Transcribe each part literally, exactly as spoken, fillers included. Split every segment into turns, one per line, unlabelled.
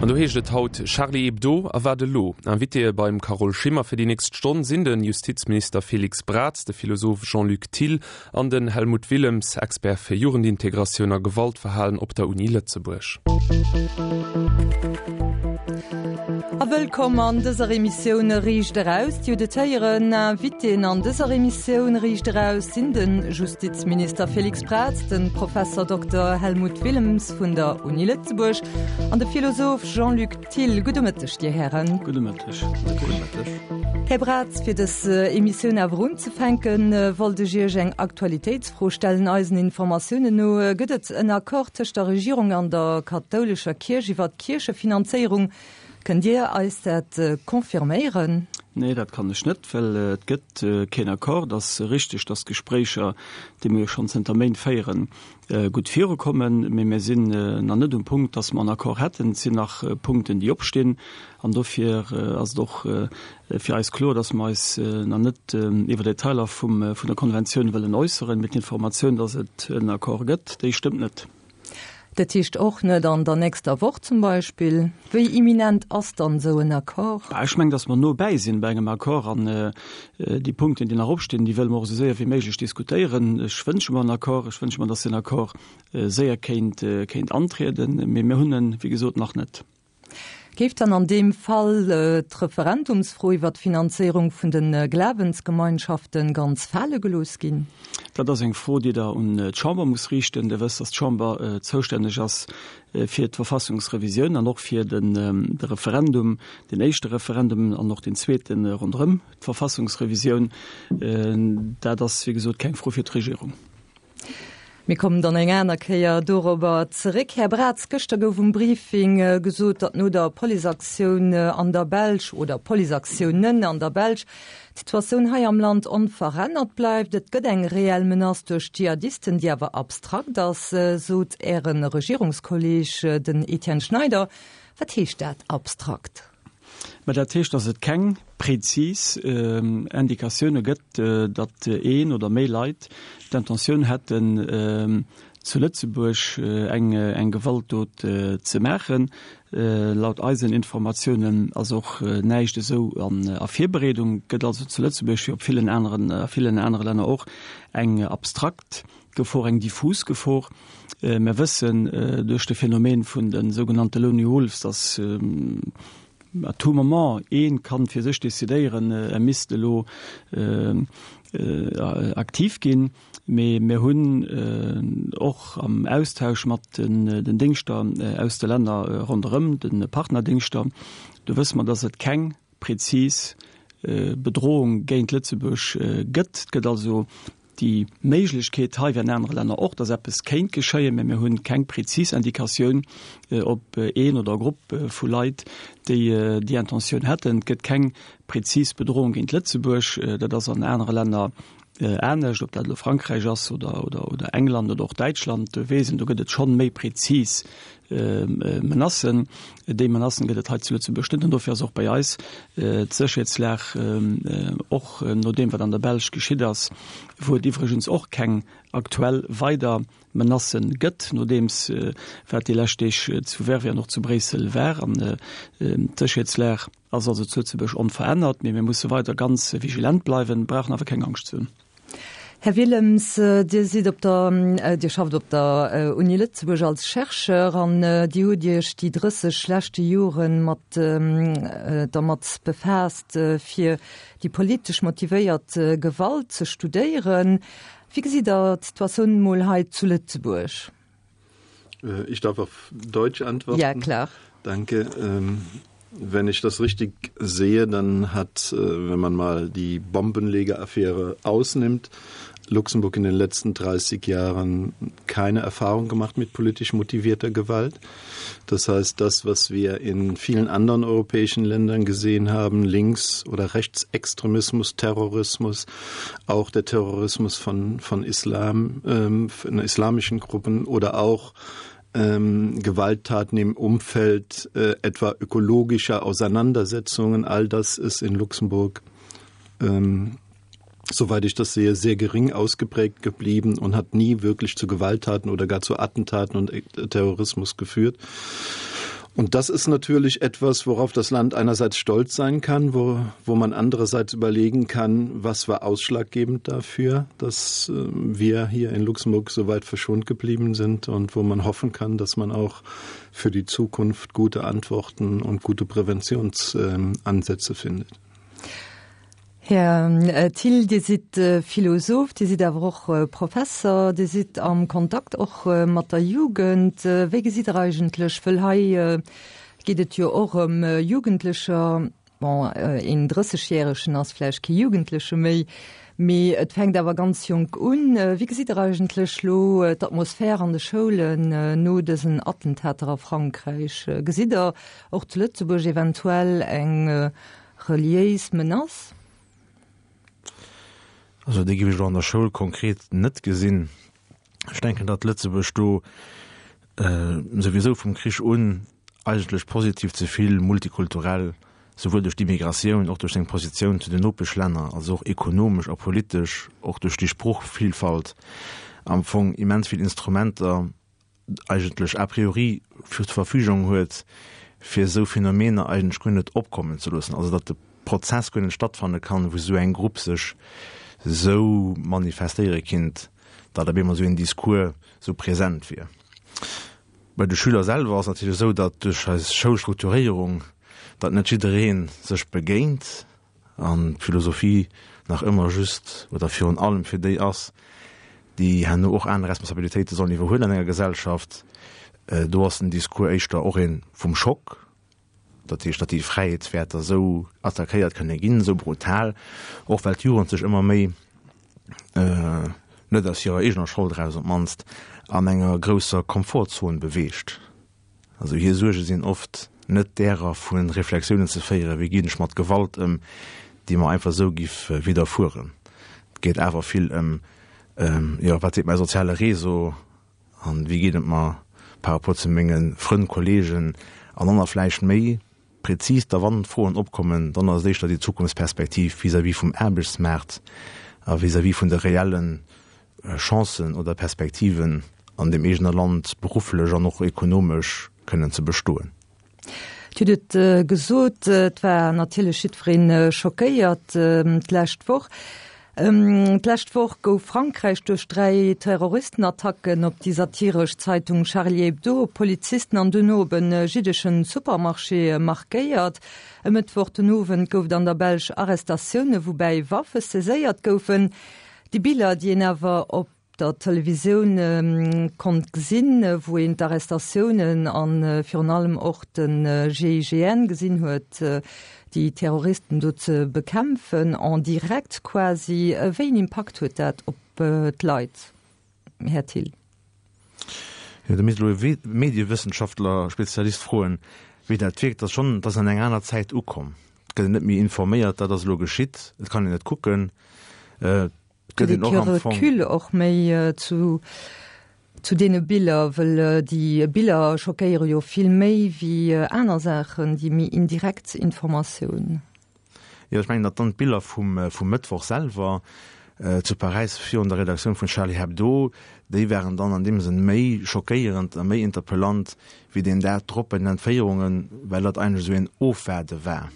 An do heescht et haut Charlie Hebdo a wat elo? Invitéë beim Carole Schimmer fir déi nächst Stonn sinn de Justizminister Félix Braz, de Philosoph Jean-Luc Thill an den Helmut Willems, Expert fir Jugendintegratioun a Gewaltverhalen op der Uni Lëtzebuerg.
A wëllkomm an dëser Emissioun Riicht Eraus. Dir hutt et héieren, Invitéen an dëser Emissioun Riicht Eraus sinn de Justizminister Félix Braz, de Professer Dokter Helmut Willems vun der Uni Lëtzebuerg an de Philosoph Jean-Luc Thill. Gudde Mëtteg, Dir Hären.
Gudde Mëtteg. Gudde Mëtteg.
Här Braz, fir dës Emissioun awer unzefänken, wollt ech Iech eng Aktualitéitsfro stellen. Eisen Informatiounen no gëtt et en Accord tëscht der Regierung an der kathoulescher Kierch iwwer d'Kierchefinanzéierung. Kënnt Dir eis dat confirméieren?
Nee, dat kann ech net, well et gëtt keen Accord. Et ass richteg, datt d'Gespréicher, déi mir jo schonn zënter Méint féieren, gutt virukommen, mee mir sinn nach net um Punkt, datt mer en Accord hätten. Et sinn nach Punkten, déi opstinn, an dofir ass et och fir eis kloer, datt mer eis nach net iwwer Detailer vum, vun der Konventioun wëllen äusseren. Mee d'Informatioun, datt et en Accord gëtt, déi stëmmt net.
Dat heescht och net an der nächster Woch zum Beispill? Wéi imminent ass dann esou en Accord?
Ech mengen, datt mer no bäi sinn bei engem Accord an déi Punkten, déi nach opstinn, déi wëlle mer och esou séier wéi méiglech diskutéieren. Ech wënsche mer en Accord, ech wënsche mer, datt deen Accord séier kéint, kéint antrieden, mee mir hunn en, wéi gesot, nach net.
Géif dann an deem Fall d'Referendumsfro iwwer d'Finanzéierung vun de Glawensgemeinschaften ganz fale gelooss ginn?
Dat ass eng Fro, déi Der un d'Chamber musst riichten. Dir wësst, datt d'Chamber zoustänneg ass fir d'Verfassungsrevisioun an och fir de Referendum, deen éischte Referendum an och deen zweete ronderëm d'Verfassungsrevisioun. Dat ass, wéi gesot, keng Fro fir d'Regierung.
Mir kommen dann eng aner Kéier dorobber zeréck. Här Braz, gëschter gouf um Briefing gesot, datt no der Policeaktioun an der Belsch oder Policeaktiounen an der Belsch d'Situatioun hei am Land onverännert bleift. Et gëtt eng reell Menace duerch Dschihadisten, déi awer abstrakt ass, sot Äre Regierungskolleeg, den Etienne Schneider. Wat heescht dat, abstrakt?
Mä dat heescht, datt et keng prezis Indikatioune gëtt, datt een oder méi Leit d'Intentioun hätten, zu Lëtzebuerg eng Gewaltdot ze maachen. Laut eisen Informatiounen ass och näischt esou a Virbereedung. Et gëtt also zu Lëtzebuerg, wéi op villen aneren, a villen anere Länner och, eng abstrakt Gefor, eng diffus Gefor. Mir wëssen duerch de Phänomen vun de sougenannte Lonely Wolves, datt à tout moment ee kann fir sech decidéieren, e misst elo aktiv ginn. Mee mir hunn och am Austausch mat den Déngschter aus de Länner ronderëm, de Partnerdéngschter, do wësse mer, datt et keng prezis Bedrohung géint Lëtzebuerg gëtt. Et gëtt also déi Méiglechkeet hei, wéi an anere Länner och, dass eppes kéint geschéien, mä mir hunn keng prezis Indikatioun op een oder e Grupp vu Leit, déi déi Intentioun hätten. Et gëtt keng prezis Bedrohung géint Lëtzebuerg. Dat ass an anere Länner anescht, ob dat elo Frankräich ass oder, oder England oder och Däitschland. Do weess een, do gëtt et schonn méi prezis Menacen. Déi Menacen gëtt et hei zu Lëtzebuerg net an dofir ass och bei eis d'Sécherheetslag, och no deem wat an der Belsch geschitt ass, wou et iwwregens och keng aktuell weider Menacen gëtt, nodeems wat déi lescht Deeg zu Verviers an och zu Bréissel war. An d'Sécherheetslag ass also zu Lëtzebuerg onverännert, mee mir musse weider ganz vigilent bleiwen, brauchen awer keng Angscht ze hunn.
Här Willems, Dir sidd op der, Dir schafft op der Uni Lëtzebuerg als Chercheur an Dir hutt Iech déi drësseg leschte Jore mat dermat befaasst, fir déi politesch motivéiert Gewalt ze studéieren. Wéi gesitt Der d'Situatioun emol hei zu Lëtzebuerg?
Ich darf auf Deutsch antworten.
Ja, klar.
Danke. Ähm, wenn ich das richtig sehe, dann hat, äh, wenn man mal die Bombenlegeraffäre ausnimmt, Luxemburg in den letzten dreißig Jahren keine Erfahrung gemacht mit politisch motivierter Gewalt. Das heißt, das, was wir in vielen anderen europäischen Ländern gesehen haben, Links- oder Rechtsextremismus, Terrorismus, auch der Terrorismus von, von Islam, ähm, von islamischen Gruppen oder auch ähm, Gewalttaten im Umfeld äh, etwa ökologischer Auseinandersetzungen, all das ist in Luxemburg ähm, soweit ich das sehe, sehr gering ausgeprägt geblieben und hat nie wirklich zu Gewalttaten oder gar zu Attentaten und äh, Terrorismus geführt. Und das ist natürlich etwas, worauf das Land einerseits stolz sein kann, wo, wo man andererseits überlegen kann, was war ausschlaggebend dafür, dass äh, wir hier in Luxemburg so weit verschont geblieben sind und wo man hoffen kann, dass man auch für die Zukunft gute Antworten und gute Präventionsansätze findet.
Här Thill, Dir sidd Philosoph, Dir sidd awer och Professer, Dir sidd am Kontakt och mat der Jugend. Wéi gesitt Der eigentlech, wëll hei geet et jo och ëm Jugendlecher, bon, een Drëssegjäregen ass vläicht kee Jugendleche méi, mee et fänkt awer ganz jonk un. Wéi gesitt Der eigentlech lo d'Atmosphär an de Schoulen no dësen Attentater a Frankräich? Gesitt Der och zu Lëtzebuerg eventuell eng reliéis Menace?
Also déi géif ech elo an der Schoul konkret net gesinn. Ech denken, datt Lëtzebuerg do souwisou vum Krich un eigentlech positiv ze vill multikulturell, souwuel duerch d'Immigratioun, och duerch seng Positioun zu den Nopeschlänner, also och ekonomesch a politesch, och duerch déi Sproochvielfalt am Fong immens vill Instrumenter eigentlech a priori zur Verfügung huet, fir esou Phänomener eigentlech guer net opkommen ze loossen, also datt de Prozess guer net stattfanne kann, wou esou eng Grupp sech esou manifestéiere kinnt, datt op eemol esou een Discours esou present wier. Bei de Schüler selwer ass et natierlech esou, datt duerch eis Schoulstrukturéierung, datt net jidderee sech begéint an d'Philosophie nach ëmmer just oder virun allem fir déi ass, déi herno och aner Responsabilitéite sollen iwwerhuelen an enger Gesellschaft. Do ass den Discours éischter och ee vum Schock, dat heescht, datt déi Fräiheetswäerter esou attackéiert kënne ginn, esou brutal, och well d'Jugend sech ëmmer méi, net aus hirer eegener Schold eraus op d'mannst, an enger grousser Komfortzon beweegt. Also hir Suerge sinn oft net därer vu Reflexiounen ze féieren, wéi ginn ech mat Gewalt ëm, déi mer einfach esou giff widderfueren. Et geet awer vill ëm, jo, wat seet mäi soziale Réseau an wéi geet et mer par rapport zu menge Frënn, Kollegen an dann nach vläicht méi prezis da wann Froen opkommen, dann ass et éischter déi Zukunftsperspektiv vis-à-vis vum Aarbechtsmaart a vis-à-vis vun de reelle Chancen oder Perspektiven an deem eegene Land berufflech an och ekonomesch kënnen ze bestoen.
Dir hutt et gesot, et war natierlech jiddweree schockéiert d'lescht Woch. D'lescht Woch gouf Frankräich duerch dräi Terroristenattacken op déi satiresch Zeitung Charlie Hebdo, op Polizisten an duerno op e jiddeschen Supermarché markéiert. E Mëttwoch den Owend gouf et an der Belsch Arrestatioune woubäi Waffe saiséiert goufen. Déi Biller, déi een awer op der Televisioun konnt gesinn, wou een d'Arrestatiounen a virun allem och de GIGN gesinn huet, déi Terroristen do ze bekämpfen, en direct quasi, wéi een Impakt huet dat op d'Leit, Här Thill?
Jo, do misst elo e Mediewëssenschaftler, Spezialist froen, wéi dat wierkt. Dat ass schonn, dat ass an eng aner Zäit ukomm. Et gëtt een net méi informéiert, dat ass elo geschitt, et kann een et kucken. Et gëtt een och am Fong.
Recul och méi zu zu deene Biller, wëll déi Biller schockéiere jo vill méi wéi aner Saachen, déi méi indirekt Informatioun.
Jo, ech mengen, datt dann d'Biller vum vum Mëttwoch selwer zu Paräis virun der Redaktioun vun Charlie Hebdo, déi waren dann an deem Sënn méi schockéierend a méi interpellant wéi deen Dag drop bei den Entféierungen, well dat eigentlech esou een Ofwaarde war.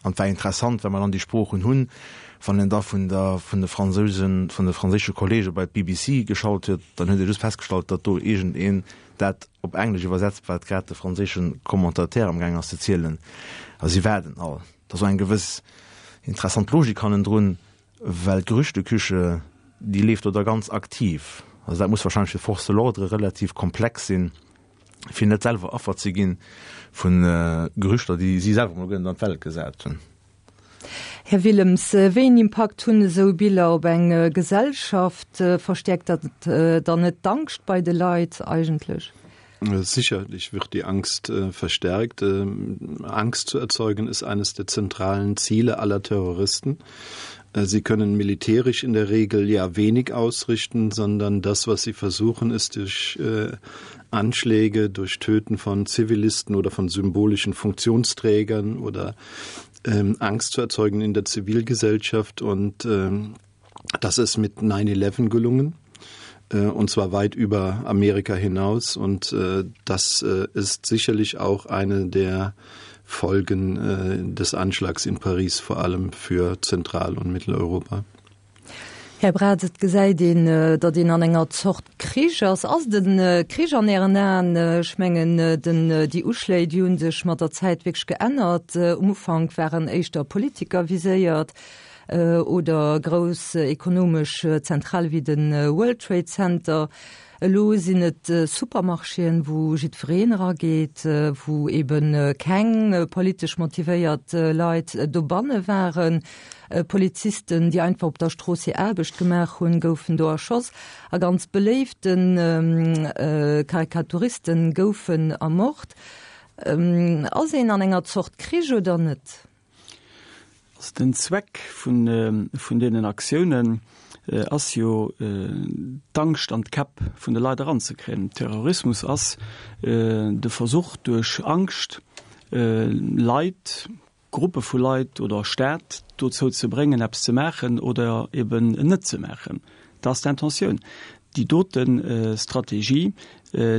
An et war interessant, well mer dann déi Sproochen hunn, wann een da vun der, vun de Fransousen, vun de franséische Kollege bei d'BBC geschalt huet, dann huet ee just festgestallt, datt do iergendeen dat op Englesch iwwersetzt, wat grad de franséische Commentateur amgaang ass ze zielen. A si waarden all. Et ass och eng gewëss interessant Logik hannendrun, well d'Gerüchteküche, déi leeft do da ganz aktiv. Also dat muss wahrscheinlech fir d'Forces de l'ordre relativ komplex sinn, fir net selwer Affer ze gi vu Gerüchter, déi si selwer emol guer net an d'Welt gesat hunn.
Här Willems, wéi een Impakt hunn esou Biller op eng Gesellschaft? Verstäerkt dat dann net d'Angscht bei de Leit eigentlech?
Sicherlich wird die Angst verstärkt. Angst zu erzeugen ist eines der zentralen Ziele aller Terroristen. Sie können militärisch in der Regel ja wenig ausrichten, sondern das, was sie versuchen, ist durch äh, Anschläge, durch Töten von Zivilisten oder von symbolischen Funktionsträgern oder ähm, Angst zu erzeugen in der Zivilgesellschaft. Und ähm, das ist mit nine eleven gelungen. äh, und zwar weit über Amerika hinaus. Und äh, das äh, ist sicherlich auch eine der Folgen äh, des Anschlags in Paris, vor allem für Zentral- und Mitteleuropa.
Här Braz, et gesäit een, datt een an enger Zort Krich ass. Ass et e Krich an Ären Aen? Ech mengen, den, déi Uschléi, déi hu sech mat der Zäit wierklech geännert. Um Ufank waren éischter Politiker viséiert oder grouss ekonomesch Zentrale wéi de World Trade Center. Elo sinn et Supermarchéen, wou jiddwereen erageet, wou eben keng politesch motivéiert Leit dobanne waren. Polizisten, déi einfach op der Strooss hir Aarbecht gemaach hunn, goufen do erschoss. A ganz beléifte Karikaturisten goufen ermort. Ass een an enger Zort Krich oder net?
Also den Zweck vun vun deenen Aktiounen ass jo d'Angscht an d'Käpp vun de Leit eranzekréien. Terrorismus ass de Versuch duerch Angscht Leit, Gruppe vu Leit oder Staat dozou ze bréngen eppes ze maachen oder eben net ze maachen. Dat ass d'Intentioun. Déi dote Strategie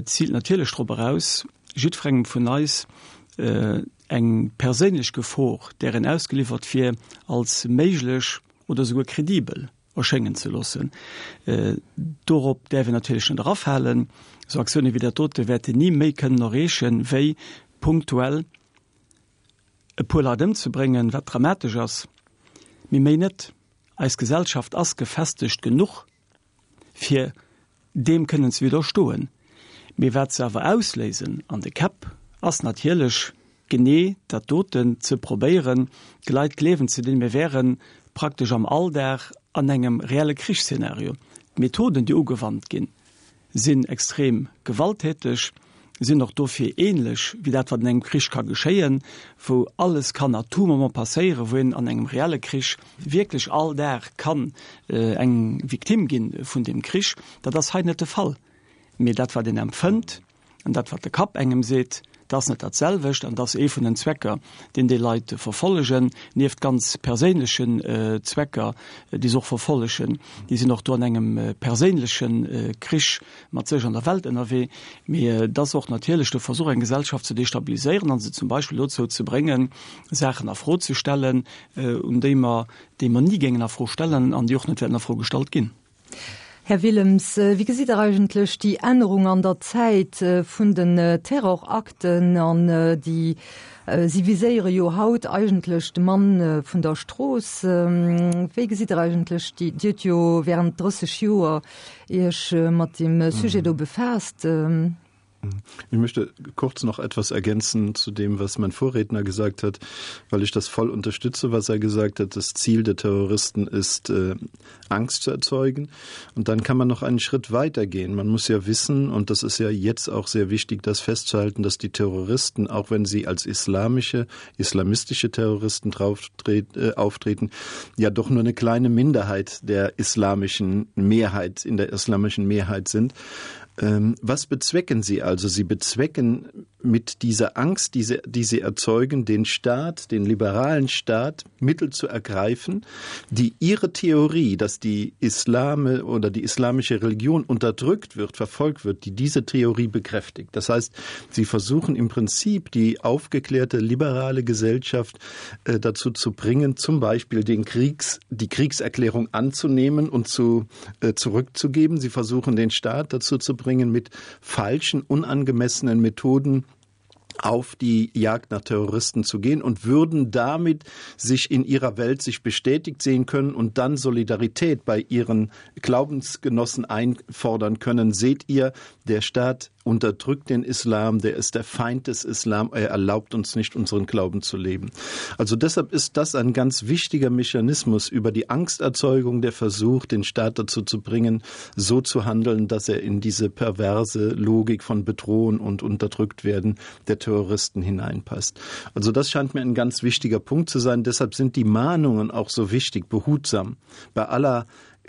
ziilt natierlech drop eraus, jiddwerengem vun eis eng perséinlech Gefor, där en ausgeliwwert wier, als méiglech oder souguer kredibel erschéngen ze loossen. Dorop däerf een natierlech net erafalen. Esou Aktioune wéi dat dote wäerten ni méi kënnen erreechen, wéi punktuell e puer Leit ëmzebréngen, wat dramatesch ass, mee méi net. Eis Gesellschaft ass gefestegt genuch, fir deem kënnen ze widderstoen. Mee wat se awer ausléisen an de Käpp, ass natierlech genee dat doten, ze probéieren, de Leit gleewen ze dinn, mir wäre praktesch am Alldag an engem reelle Krichsszenario. D'Methoden, déi ugewannt ginn, sinn extrem gewalttäteg, sinn och dofir ähnlech wéi dat, wat an engem Krich ka geschéien, wou alles kann à tout moment passéieren, wou een an engem reelle Krich wierklech all Dag kann eng Victime gi vun deem Krich. Dat ass hei net de Fall. Mee dat, wat een empfënnt an dat, wat de Kapp engem seet, dat ass net dat selwecht. An dat ass ee vun den Zwecker, deen déi Leit verfollegen, nieft ganz perséinlechen Zwecker, déi se och verfollegen. Déi sinn och do an engem perséinleche Krich mat sech an der Welt ënnerwee. Mee et ass och natierlech de Versuch, eng Gesellschaft ze destabiliséieren an se zum Beispill dozou ze bréngen, Saachen a Fro ze stellen, un déi mer, déi mer ni géingen a Fro stellen an déi och net wäerten a Fro gestallt ginn.
Här Willems, wéi gesitt Der eigentlech déi Ännerung an der Zäit vun den Terrorakten an déi, si viséiere jo haut eigentlech de Mann vun der Strooss, wéi gesitt Der eigentlech déi, Dir hutt jo während drësseg Joer Iech mat deem Sujet do befaasst.
Ich möchte kurz noch etwas ergänzen zu dem, was mein Vorredner gesagt hat, weil ich das voll unterstütze, was er gesagt hat. Das Ziel der Terroristen ist, äh, Angst zu erzeugen. Und dann kann man noch einen Schritt weitergehen. Man muss ja wissen, und das ist ja jetzt auch sehr wichtig, das festzuhalten, dass die Terroristen, auch wenn sie als islamische, islamistische Terroristen drauf, äh, auftreten, ja doch nur eine kleine Minderheit der islamischen Mehrheit in der islamischen Mehrheit sind. Ähm, was bezwecken sie also? Sie bezwecken mit dieser Angst, die sie, die sie erzeugen, den Staat, den liberalen Staat, Mittel zu ergreifen, die ihre Theorie, dass die Islame oder die islamische Religion unterdrückt wird, verfolgt wird, die diese Theorie bekräftigt. Das heißt, sie versuchen im Prinzip die aufgeklärte liberale Gesellschaft äh, dazu zu bringen, zum Beispiel den Kriegs, die Kriegserklärung anzunehmen und zu, äh, zurückzugeben. Sie versuchen den Staat dazu zu bringen, mit falschen, unangemessenen Methoden auf die Jagd nach Terroristen zu gehen und würden damit sich in ihrer Welt sich bestätigt sehen können und dann Solidarität bei ihren Glaubensgenossen einfordern können. Seht ihr, der Staat unterdrückt den Islam, der ist der Feind des Islam, er erlaubt uns nicht, unseren Glauben zu leben. Also deshalb ist das ein ganz wichtiger Mechanismus über die Angsterzeugung, der Versuch, den Staat dazu zu bringen, so zu handeln, dass er in diese perverse Logik von Bedrohen und unterdrückt werden der Terroristen hineinpasst. Also das scheint mir ein ganz wichtiger Punkt zu sein. Deshalb sind die Mahnungen auch so wichtig, behutsam. Bei aller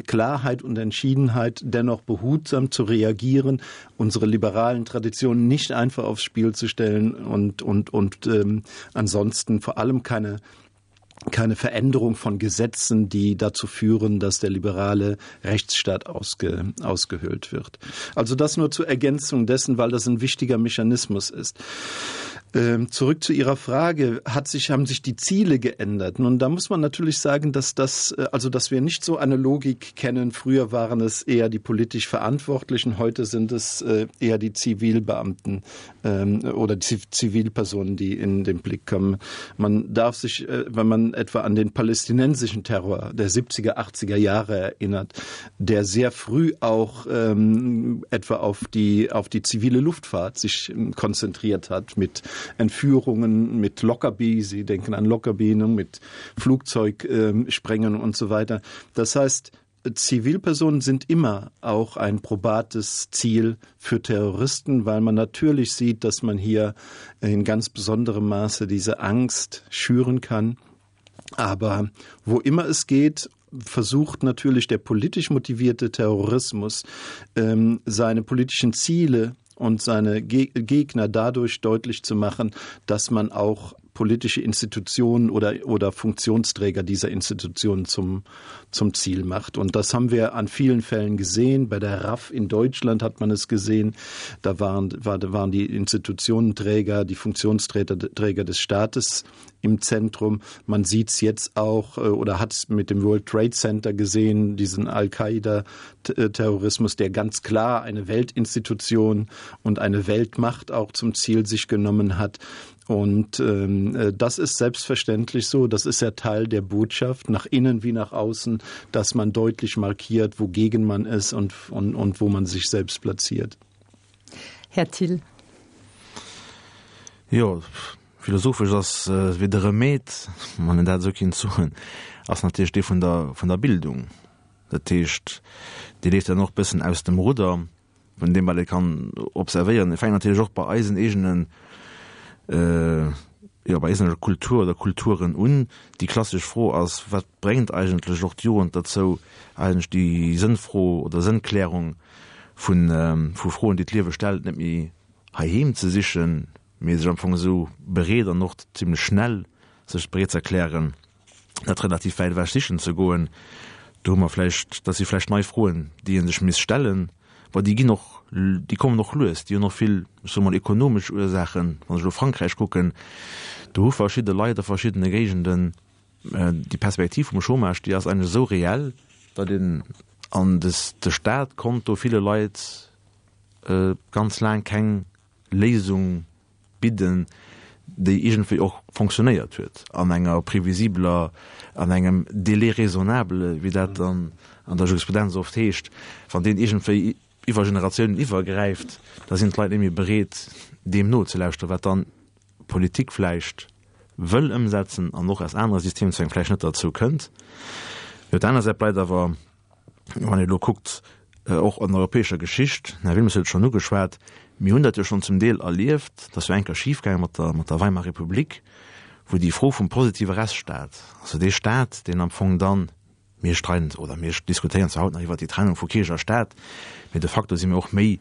Klarheit und Entschiedenheit dennoch behutsam zu reagieren, unsere liberalen Traditionen nicht einfach aufs Spiel zu stellen und, und, und ähm, ansonsten vor allem keine keine Veränderung von Gesetzen, die dazu führen, dass der liberale Rechtsstaat ausge, ausgehöhlt wird. Also das nur zur Ergänzung dessen, weil das ein wichtiger Mechanismus ist. Ähm, zurück zu Ihrer Frage, hat sich, haben sich die Ziele geändert? Nun, da muss man natürlich sagen, dass das, äh, also dass wir nicht so eine Logik kennen. Früher waren es eher die politisch Verantwortlichen, heute sind es äh, eher die Zivilbeamten ähm, oder Zivilpersonen, die in den Blick kommen. Man darf sich, äh, wenn man etwa an den palästinensischen Terror der siebziger, achtziger Jahre erinnert, der sehr früh auch ähm, etwa auf die, auf die zivile Luftfahrt sich konzentriert hat mit Entführungen, mit Lockerbie, Sie denken an Lockerbie, ne, mit Flugzeugsprengen und so weiter. Das heißt, Zivilpersonen sind immer auch ein probates Ziel für Terroristen, weil man natürlich sieht, dass man hier in ganz besonderem Maße diese Angst schüren kann. Aber wo immer es geht, versucht natürlich der politisch motivierte Terrorismus, ähm, seine politischen Ziele und seine Gegner dadurch deutlich zu machen, dass man auch politische Institutionen oder, oder Funktionsträger dieser Institutionen zum, zum Ziel macht. Und das haben wir an vielen Fällen gesehen. Bei der R A F in Deutschland hat man es gesehen. Da waren, war, waren die Institutionenträger, die Funktionsträger Träger des Staates im Zentrum. Man sieht's jetzt auch, äh, oder hat's mit dem World Trade Center gesehen, diesen Al-Qaida-Terrorismus, der ganz klar eine Weltinstitution und eine Weltmacht auch zum Ziel sich genommen hat. Und, ähm, äh, das ist selbstverständlich so, das ist ja Teil der Botschaft, nach innen wie nach außen, dass man deutlich markiert, wogegen man ist und, und, und wo man sich selbst platziert.
Här Thill.
Jo, philosophisch ass, äh, wéi de Remède, wann een dat esou kinnt soen, ass natierlech dee vun der, vun der Bildung. Dat heescht, déi leeft dann och bëssen aus dem Rudder, vun deem wat ee kann observéieren. Et fänkt natierlech och bei eisen eegenen, äh, jo, bei eiser Kultur oder Kulturen un. Déi klassesch Fro ass, wat bréngt eigentlech och d'Jugend dozou, eigentlech déi Sënnfro oder Sënnklärung vun, ähm, vu Froen, déi d'Liewe stellt, net méi heiheem ze sichen, mee sech am Fong esou bereet an och zimmlech schnell sech bereet ze erklären, dat relativ wäit ewech sichen ze goen. Do hu mer vläicht, dat si vläicht nei Froen, déi ee sech misst stellen, well déi ginn och, déi kommen och lues, déi hunn och vill, ech soe mol, ekonomesch Ursaachen. Wann ech elo Frankräich kucken, do hu verschidde Leit a verschiddene Géigenden, äh, déi Perspektiv vum Chômage, déi ass eigentlech esou reell, datt een an des, de Staat konnt do ville Leit, äh, ganz laang keng Léisung bidden, déi iergendwéi och fonctionnéiert huet, an enger prévisibler, an engem Délai raisonnable, wéi dat dann an der Jurisprudenz oft heescht, wann deen iergendwéi iwwer Generatiounen iwwergräift, da sinn d'Leit net méi bereet, deem nozelauschteren, wat dann Politik vläicht wëll ëmsetzen an och aus anere Systemzwäng vläicht net dozou kënnt. Op der aner Säit bleift awer, wann ee elo kuckt, äh, och an europäescher Geschicht, den Här Wilmes huet et schonn ugeschwat, mir hunn dat jo schonn zum Deel erlieft, dass wir enker schiefgaange mat der, mat der Weimarer Republik, wou déi Fro vum positive Rechtsstaat, also dee Staat, deen am Fong dann, mir streiden oder mir diskutéieren zwar haut nach iwwer déi Trennung vu Kierch a Staat, mee de facto si mir och méi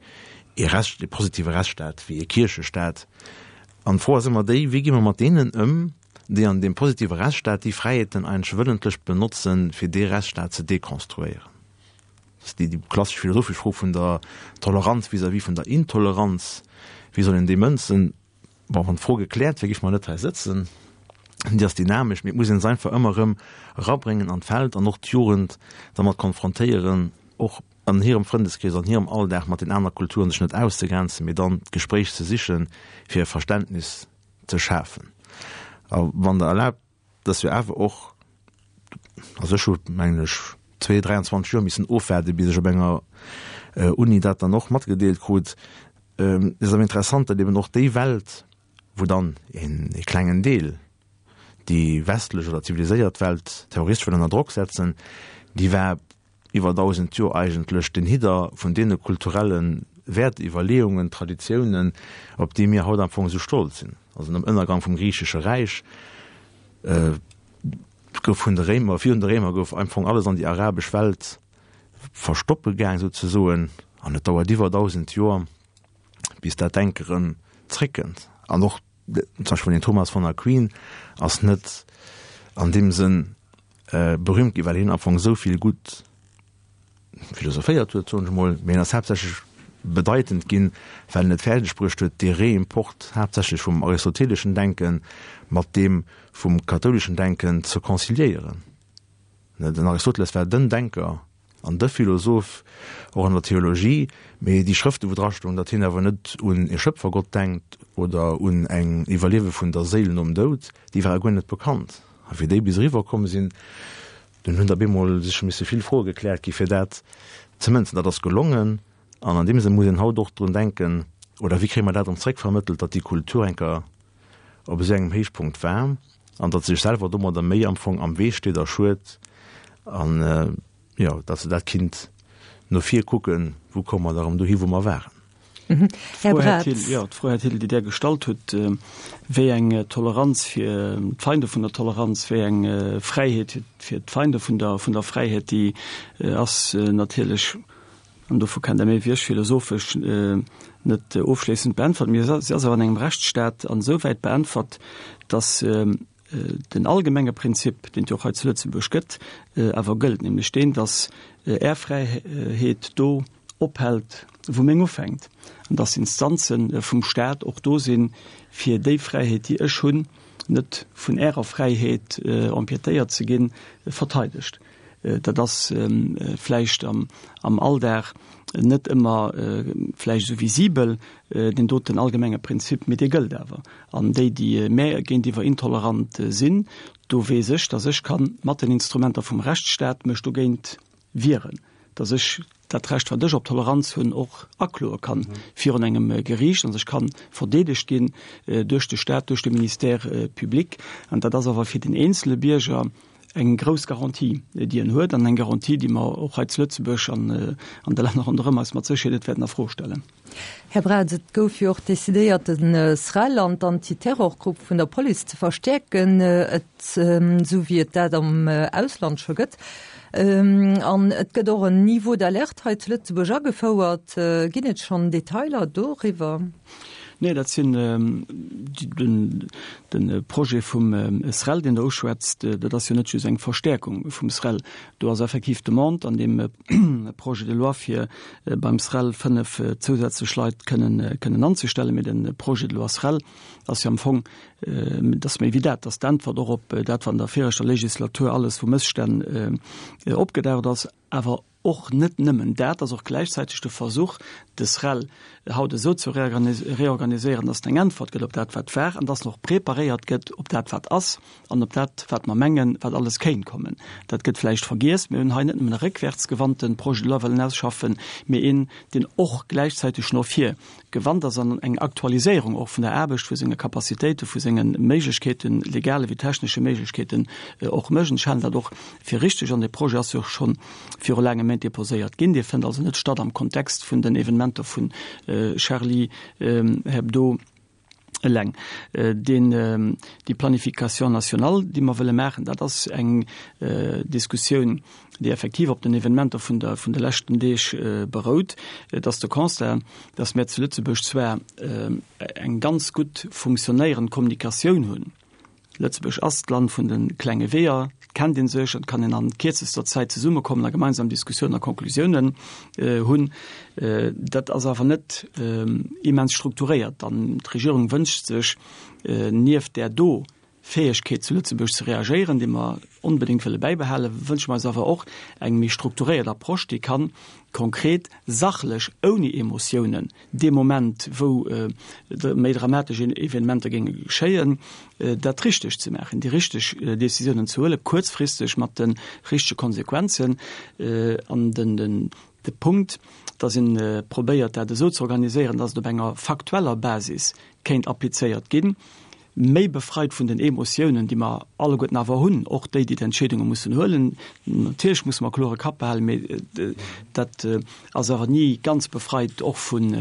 e Rest, e positive Rechtsstaat wéi e Kierchestaat. An d'Fro ass ëmmer déi, wéi gi mer mat deenen ëm, déi an dem positive Rechtsstaat déi Fräiheeten eigentlech wëllentlech benotzen, fir dee Rechtsstaat ze dekonstruéieren. Dat ass déi, déi klassesch philosophesch Fro vun der Toleranz vis-à-vis vun der Intoleranz. Wéi soll een déi mënzen? Bon, wann d'Fro gekläert wär, géif mer net hei sëtzen. Déi ass dynamesch, mee et muss een se einfach ëmmer erëm erabréngen an d'Feld an och d'Jugend dermat konfrontéieren, och an hirem Frëndeskrees, an hirem Alldag mat den aner Kulturen sech net auszegrenzen, mee dann d'Gespréich ze sichen, fir e Verständnis ze schafen. A wann der erlaabt, dass wir awer och, also ech hu, mengen ech, zwee, dräianzwanzeg Joer missen ofwaarden, bis ech op enger, äh, Uni dat dann och matgedeelt krut. Ähm, et ass awer interessant, datt eben och déi Welt, wou dann een, e klengen Deel déi westlech oder ziviliséiert Welt terroristesch wëll ënner Drock setzen, déi war iwwer dausend Joer eigentlech den Hidder vun deene kulturellen Wertiwwerleeungen, Traditiounen, op déi mir haut am Fong esou stolz sinn. Also am Ënnergang vum griichesche Räich, äh, gouf vun de Réimer, virun de Réimer gouf am Fong alles an déi arabesch Welt verstoppe gaang, sozesoen, an et dauert iwwer dausend Joer, bis dat Denke rëm zréckkënnt. An och zum Beispill den Thomas von Aquin ass net an deem Sënn berühmt gi well hien am Fong esou vill gutt philosophéiert huet, soen ech emol, mee hien ass haaptsächlech bedeitend ginn, well en et fäerdeg bruecht huet, dee Réimport haaptsächlech vum aristoteleschen Denke mat deem vum kathouleschen Denken ze conciliéieren. Den Aristoteles war den Denker an de Philosoph, och an der Theologie, mee déi Schrëfte wou drastoung, datt hien awer net un e Schöpfergott denkt oder un eng Iwwerliewe vun der Séil nom Doud, déi ware guer net bekannt. A wéi déi bis eriwwer komm sinn, dunn hunn der bemol sech misse vill Froe gekläert gi fir dat ze mënzen. Dat ass gelongen an an deem Sënn muss een haut och drun denken, oder wéi kréie mer dat erëm zréckvermëttelt, datt déi Kultur eng Kéier op esou engem Héichpunkt war an datt se sech selwer domadder méi am Fong am Wee steet a schued an, jo, datt se dat kinnt no vir kucken, wou komme mer da erëm dohi wou mer waren.
Här Braz.
Jo, d'Fro, Här Thill, déi Där gestallt hutt, wéi eng Toleranz fir d'Feinde vun der Toleranz, wéi eng Fräiheet fir d'Feinde vun der, vun der Fräiheet, déi ass natierlech, an dovu kennt Der méi wéi ech, philosophesch net ofschléissend beäntwert. Mee si ass awer an engem Rechtsstaat ansouwäit beäntwert, datt den allgemenge Prinzip, deen et jo och hei zu Lëtzebuerg gëtt, awer gëllt, nämlech deen, datt Är Fräiheet do ophält, wou meng ufänkt, an datt d'Instanze vum Staat och do sinn, fir déi Fräiheet, déi ech hunn, net vun Ärer Fräiheet empiétéiert ze ginn, verteidegt. Dat ass vläicht am Alldag net ëmmer vläicht esou visibel, deen doten allgemenge Prinzip, mee dee gëllt awer. An déi, déi mär géintiwwer intolerant sinn, do weess ech, datt ech ka mat den Instrumenter vum Rechtsstaat mech dogéint wieren, datt ech dat Recht, wat ech op Toleranz hunn, och akloe kann virun engem Geriicht an ech ka verdeedegt ginn duerch de Staat, duerch de Ministère public. An dat ass awer fir den eenzele Bierger eng grouss Garantie, déi en huet, an eng Garantie, déi mer och hei zu Lëtzebuerg an an de Länner ronderëm eis mat Sécherheet net wäerten a Fro stellen.
Här Braz, et gouf jo och decidéiert, de SREL an d'Antiterrorgrupp vun der Police ze verstäerken, et esou wéi et dat am Ausland scho gëtt. An et gëtt och en Niveau d'alerte hei zu Lëtzebuerg agefouert. Ginn et schonn Detailer doriwwer?
Nee, dat sinn de Projet vum SREL, deen Der uschwätzt, dat ass jo net just eng Verstäerkung vum SREL. Do ass effektiv d'Demande an deem Projet de loi, fir beim SREL fënnef zousätzlech Leit kënnen kënnen anzestellen. Mee de Projet de loi SREL ass jo am Fong, dat ass méi wéi dat, dat ass d'Äntwert och op dat, wat an der viregter Legislatur alles vu Mësstänn opgedaucht ass. Awer och net nëmmen dat, ass och gläichzäiteg de Versuch, de SREL haut esou ze reorganiséieren, dass en eng Äntwert gëtt op dat, wat war, an dass en och preparéiert gëtt op dat, wat ass, an op dat, wat mer mengen, wat alles kéint kommen. Dat gëtt vläicht vergiess. Mir hunn hei net nëmmen e réckwäertsgewandte Projet de loi wëllen ausschaffen, mee een, deen och gläichzäiteg no vir gewannt ass an eng Aktualiséierung och vun der Aarbecht, vu senge Capacitéiten, vu senge Méiglechkeeten, legale wéi technesche Méiglechkeeten, och mécht. Ech halen dat och fir richtig an dee Projet ass jo scho viru laange Méint déposéiert ginn. Dee fënnt also net statt am Kontext vun den Evenementer vun Charlie Hebdo eleng. Deen, déi Planification nationale, déi mer wëlle maachen, dat ass eng Diskussioun, déi effektiv op den Evenementer vun der, vun de leschten Deeg berout. Et ass de Constat, dass mir zu Lëtzebuerg zwar eng ganz gutt funktionéierend Kommunikatioun hunn, Lëtzebuerg ass d'Land vun de klenge Weeër, et kennt ee sech, et kann een an kierzester Zäit zesummekommen a gemeinsam Diskussiounen a Conclusiounen hunn. Dat ass awer net immens strukturéiert an d'Regierung wënscht sech, nieft där do Fäegkeet zu Lëtzebuerg ze reagéieren, déi mer onbedéngt wëlle bäibehalen, wënsche mer eis awer och eng méi strukturéiert Approche, déi kann konkret, sachlech, ouni Emotiounen, dee Moment, wou méi dramatesch Evenementer géinge geschéien, dat richteg ze maachen, déi richteg Décisiounen ze huelen, kuerzfristeg mat de richtege Konsequenzen. An den de Punkt, dass ee probéiert, dat esou ze organiséieren, dass et op enger faktueller Basis kéint applizéiert ginn, méi befreit vun den Emotiounen, déi mer alleguerten awer hunn, och déi, déi d'Entscheedunge mussen huelen. Natierlech musse mer e klore Kapp behalen, mee dat ass awer ni ganz befreit och vun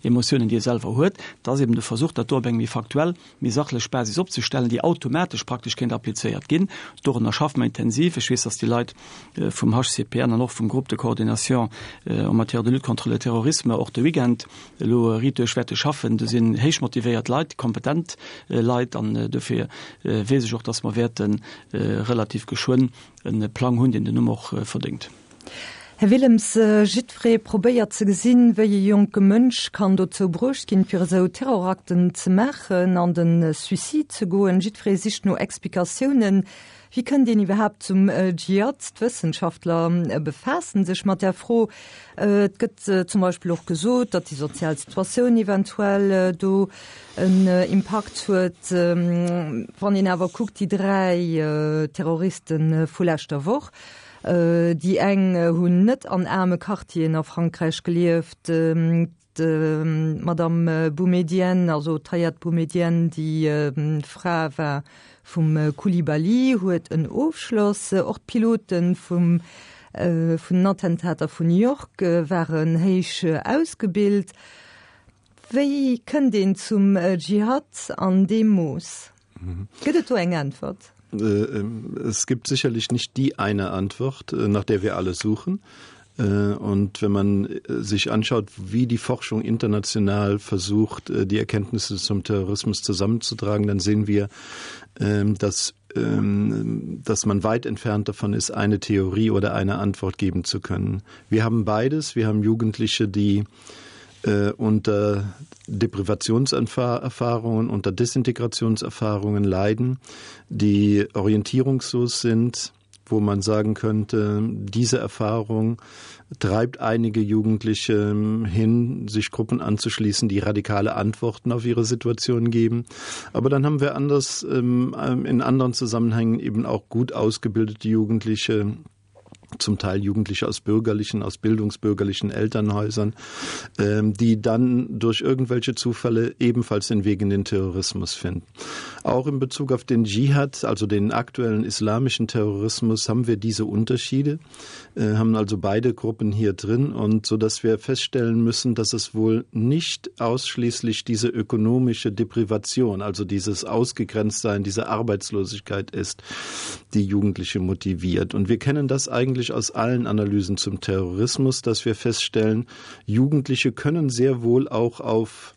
Emotiounen, déi ee selwer huet. Et ass eben de Versuch, dat do op eng méi faktuell, méi sachlech Basis opzestellen, déi automatesch praktesch kéint applizéiert ginn. Dorunner schaffe mer intensiv. Ech weess, dass déi Leit vum H C P N an och vum Groupe de coordination en matière de lutte contre le terrorisme och de Weekend elo riit duerch wäerte schaffen. Do sinn héich motivéiert Leit, kompetent Leit. Leit an dofir weess ech och, dass mer wäerte relativ geschwënn e Plang hunn, deen den Numm och verdéngt.
Här Willems, jiddweree probéiert ze gesinn, wéi e jonke Mënsch kann dozou bruecht ginn, fir esou Terrorakten ze maachen, an de Suicide ze goen. Jiddweree sicht no Explikatiounen. Wéi kënnt een iwwerhaapt zum Dschihad? D'Wëssenschaftler befaassen sech mat där Fro. Et gëtt zum Beispill och gesot, datt déi sozial Situatioun eventuell do en Impakt huet. Wann een awer kuckt, déi dräi Terroriste vu leschter Woch, Déi eng hunn net an aarme Quartieren a Frankräich gelieft. D'Madame Boumedienne, also d'Hayat Boumedienne, déi Fra war vum Coulibaly, huet en Ofschloss. Och d'Pilote vum vun den Attentater vun New York waren héich ausgebilt. Wéi kënnt een zum Dschihad an deem Mooss? Gëtt et do eng Äntwert?
Es gibt sicherlich nicht die eine Antwort, nach der wir alle suchen. Und wenn man sich anschaut, wie die Forschung international versucht, die Erkenntnisse zum Terrorismus zusammenzutragen, dann sehen wir, dass, dass man weit entfernt davon ist, eine Theorie oder eine Antwort geben zu können. Wir haben beides. Wir haben Jugendliche, die äh, unter Deprivationserfahrungen, unter Desintegrationserfahrungen leiden, die orientierungslos sind, wo man sagen könnte, diese Erfahrung treibt einige Jugendliche hin, sich Gruppen anzuschließen, die radikale Antworten auf ihre Situation geben. Aber dann haben wir anders ähm, in anderen Zusammenhängen eben auch gut ausgebildete Jugendliche, zum Teil Jugendliche aus bürgerlichen, aus bildungsbürgerlichen Elternhäusern, ähm, die dann durch irgendwelche Zufälle ebenfalls den Weg in den Terrorismus finden. Auch in Bezug auf den Dschihad, also den aktuellen islamischen Terrorismus, haben wir diese Unterschiede, äh, haben also beide Gruppen hier drin und so dass wir feststellen müssen, dass es wohl nicht ausschließlich diese ökonomische Deprivation, also dieses Ausgegrenztsein, diese Arbeitslosigkeit ist, die Jugendliche motiviert. Und wir kennen das eigentlich aus allen Analysen zum Terrorismus, dass wir feststellen, Jugendliche können sehr wohl auch auf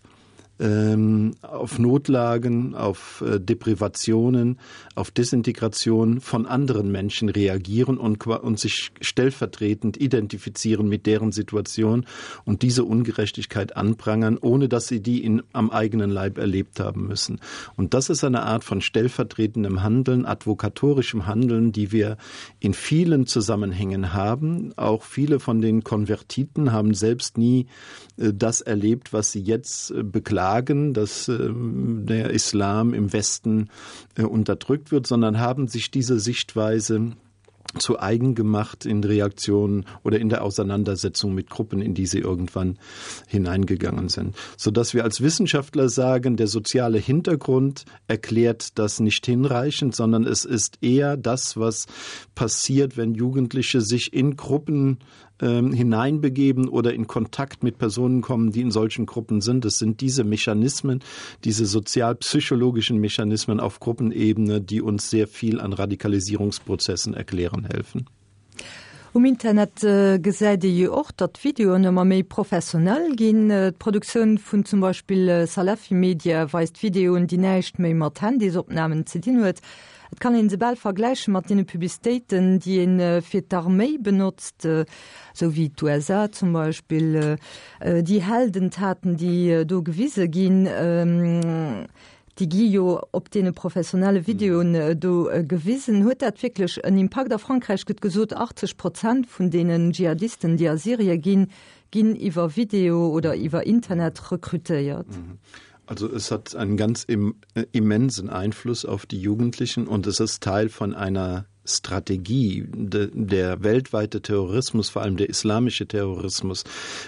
ähm, auf Notlagen, auf äh, Deprivationen, auf Desintegration von anderen Menschen reagieren und, und sich stellvertretend identifizieren mit deren Situation und diese Ungerechtigkeit anprangern, ohne dass sie die in, am eigenen Leib erlebt haben müssen. Und das ist eine Art von stellvertretendem Handeln, advokatorischem Handeln, die wir in vielen Zusammenhängen haben. Auch viele von den Konvertiten haben selbst nie äh, das erlebt, was sie jetzt äh, beklagen, dass ähm, der Islam im Westen äh, unterdrückt wird, sondern haben sich diese Sichtweise zu eigen gemacht in Reaktionen oder in der Auseinandersetzung mit Gruppen, in die sie irgendwann hineingegangen sind. Sodass wir als Wissenschaftler sagen, der soziale Hintergrund erklärt das nicht hinreichend, sondern es ist eher das, was passiert, wenn Jugendliche sich in Gruppen ähm, hineinbegeben oder in Kontakt mit Personen kommen, die in solchen Gruppen sind. Es sind diese Mechanismen, diese sozialpsychologischen Mechanismen auf Gruppenebene, die uns sehr viel an Radikalisierungsprozessen erklären helfen.
Um Internet gesäit ee jo och, datt d'Videoen ëmmer méi professionell ginn. D'Produktioun vun zum Beispill Salafi Media weist Videoen, déi näischt méi mat Handysopnamen ze dinn huet. Et kann een se bal vergläiche mat deene Publicitéiten, déi ee fir d'Arméi benotzt, esou wéi d'U S A zum Beispill. Déi Heldentaten, déi do gewise ginn, déi gi jo op deene professionelle Videoen do gewisen. Huet dat wierklech en Impakt? A Frankräich gëtt gesot, achtzeg Prozent vun deenen Dschihadisten, déi a Syrie ginn, ginn iwwer Video oder iwwer Internet rekrutéiert.
Also es hat einen ganz im, äh, immensen Einfluss auf die Jugendlichen und es ist Teil von einer Strategie. De, der weltweite Terrorismus, vor allem der islamische Terrorismus,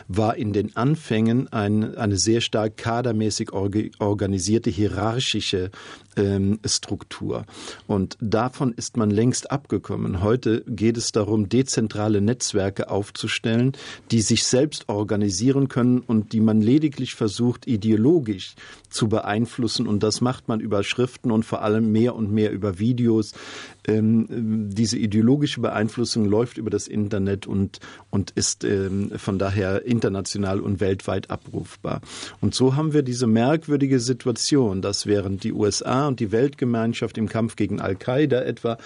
war in den Anfängen ein, eine sehr stark kadermäßig orgi-, organisierte hierarchische, ähm, Struktur. Und davon ist man längst abgekommen. Heute geht es darum, dezentrale Netzwerke aufzustellen, die sich selbst organisieren können und die man lediglich versucht, ideologisch zu beeinflussen. Und das macht man über Schriften und vor allem mehr und mehr über Videos, ähm, diese ideologische Beeinflussung läuft über das Internet und, und ist ähm, von daher international und weltweit abrufbar. Und so haben wir diese merkwürdige Situation, dass während die U S A und die Weltgemeinschaft im Kampf gegen Al-Qaida etwa,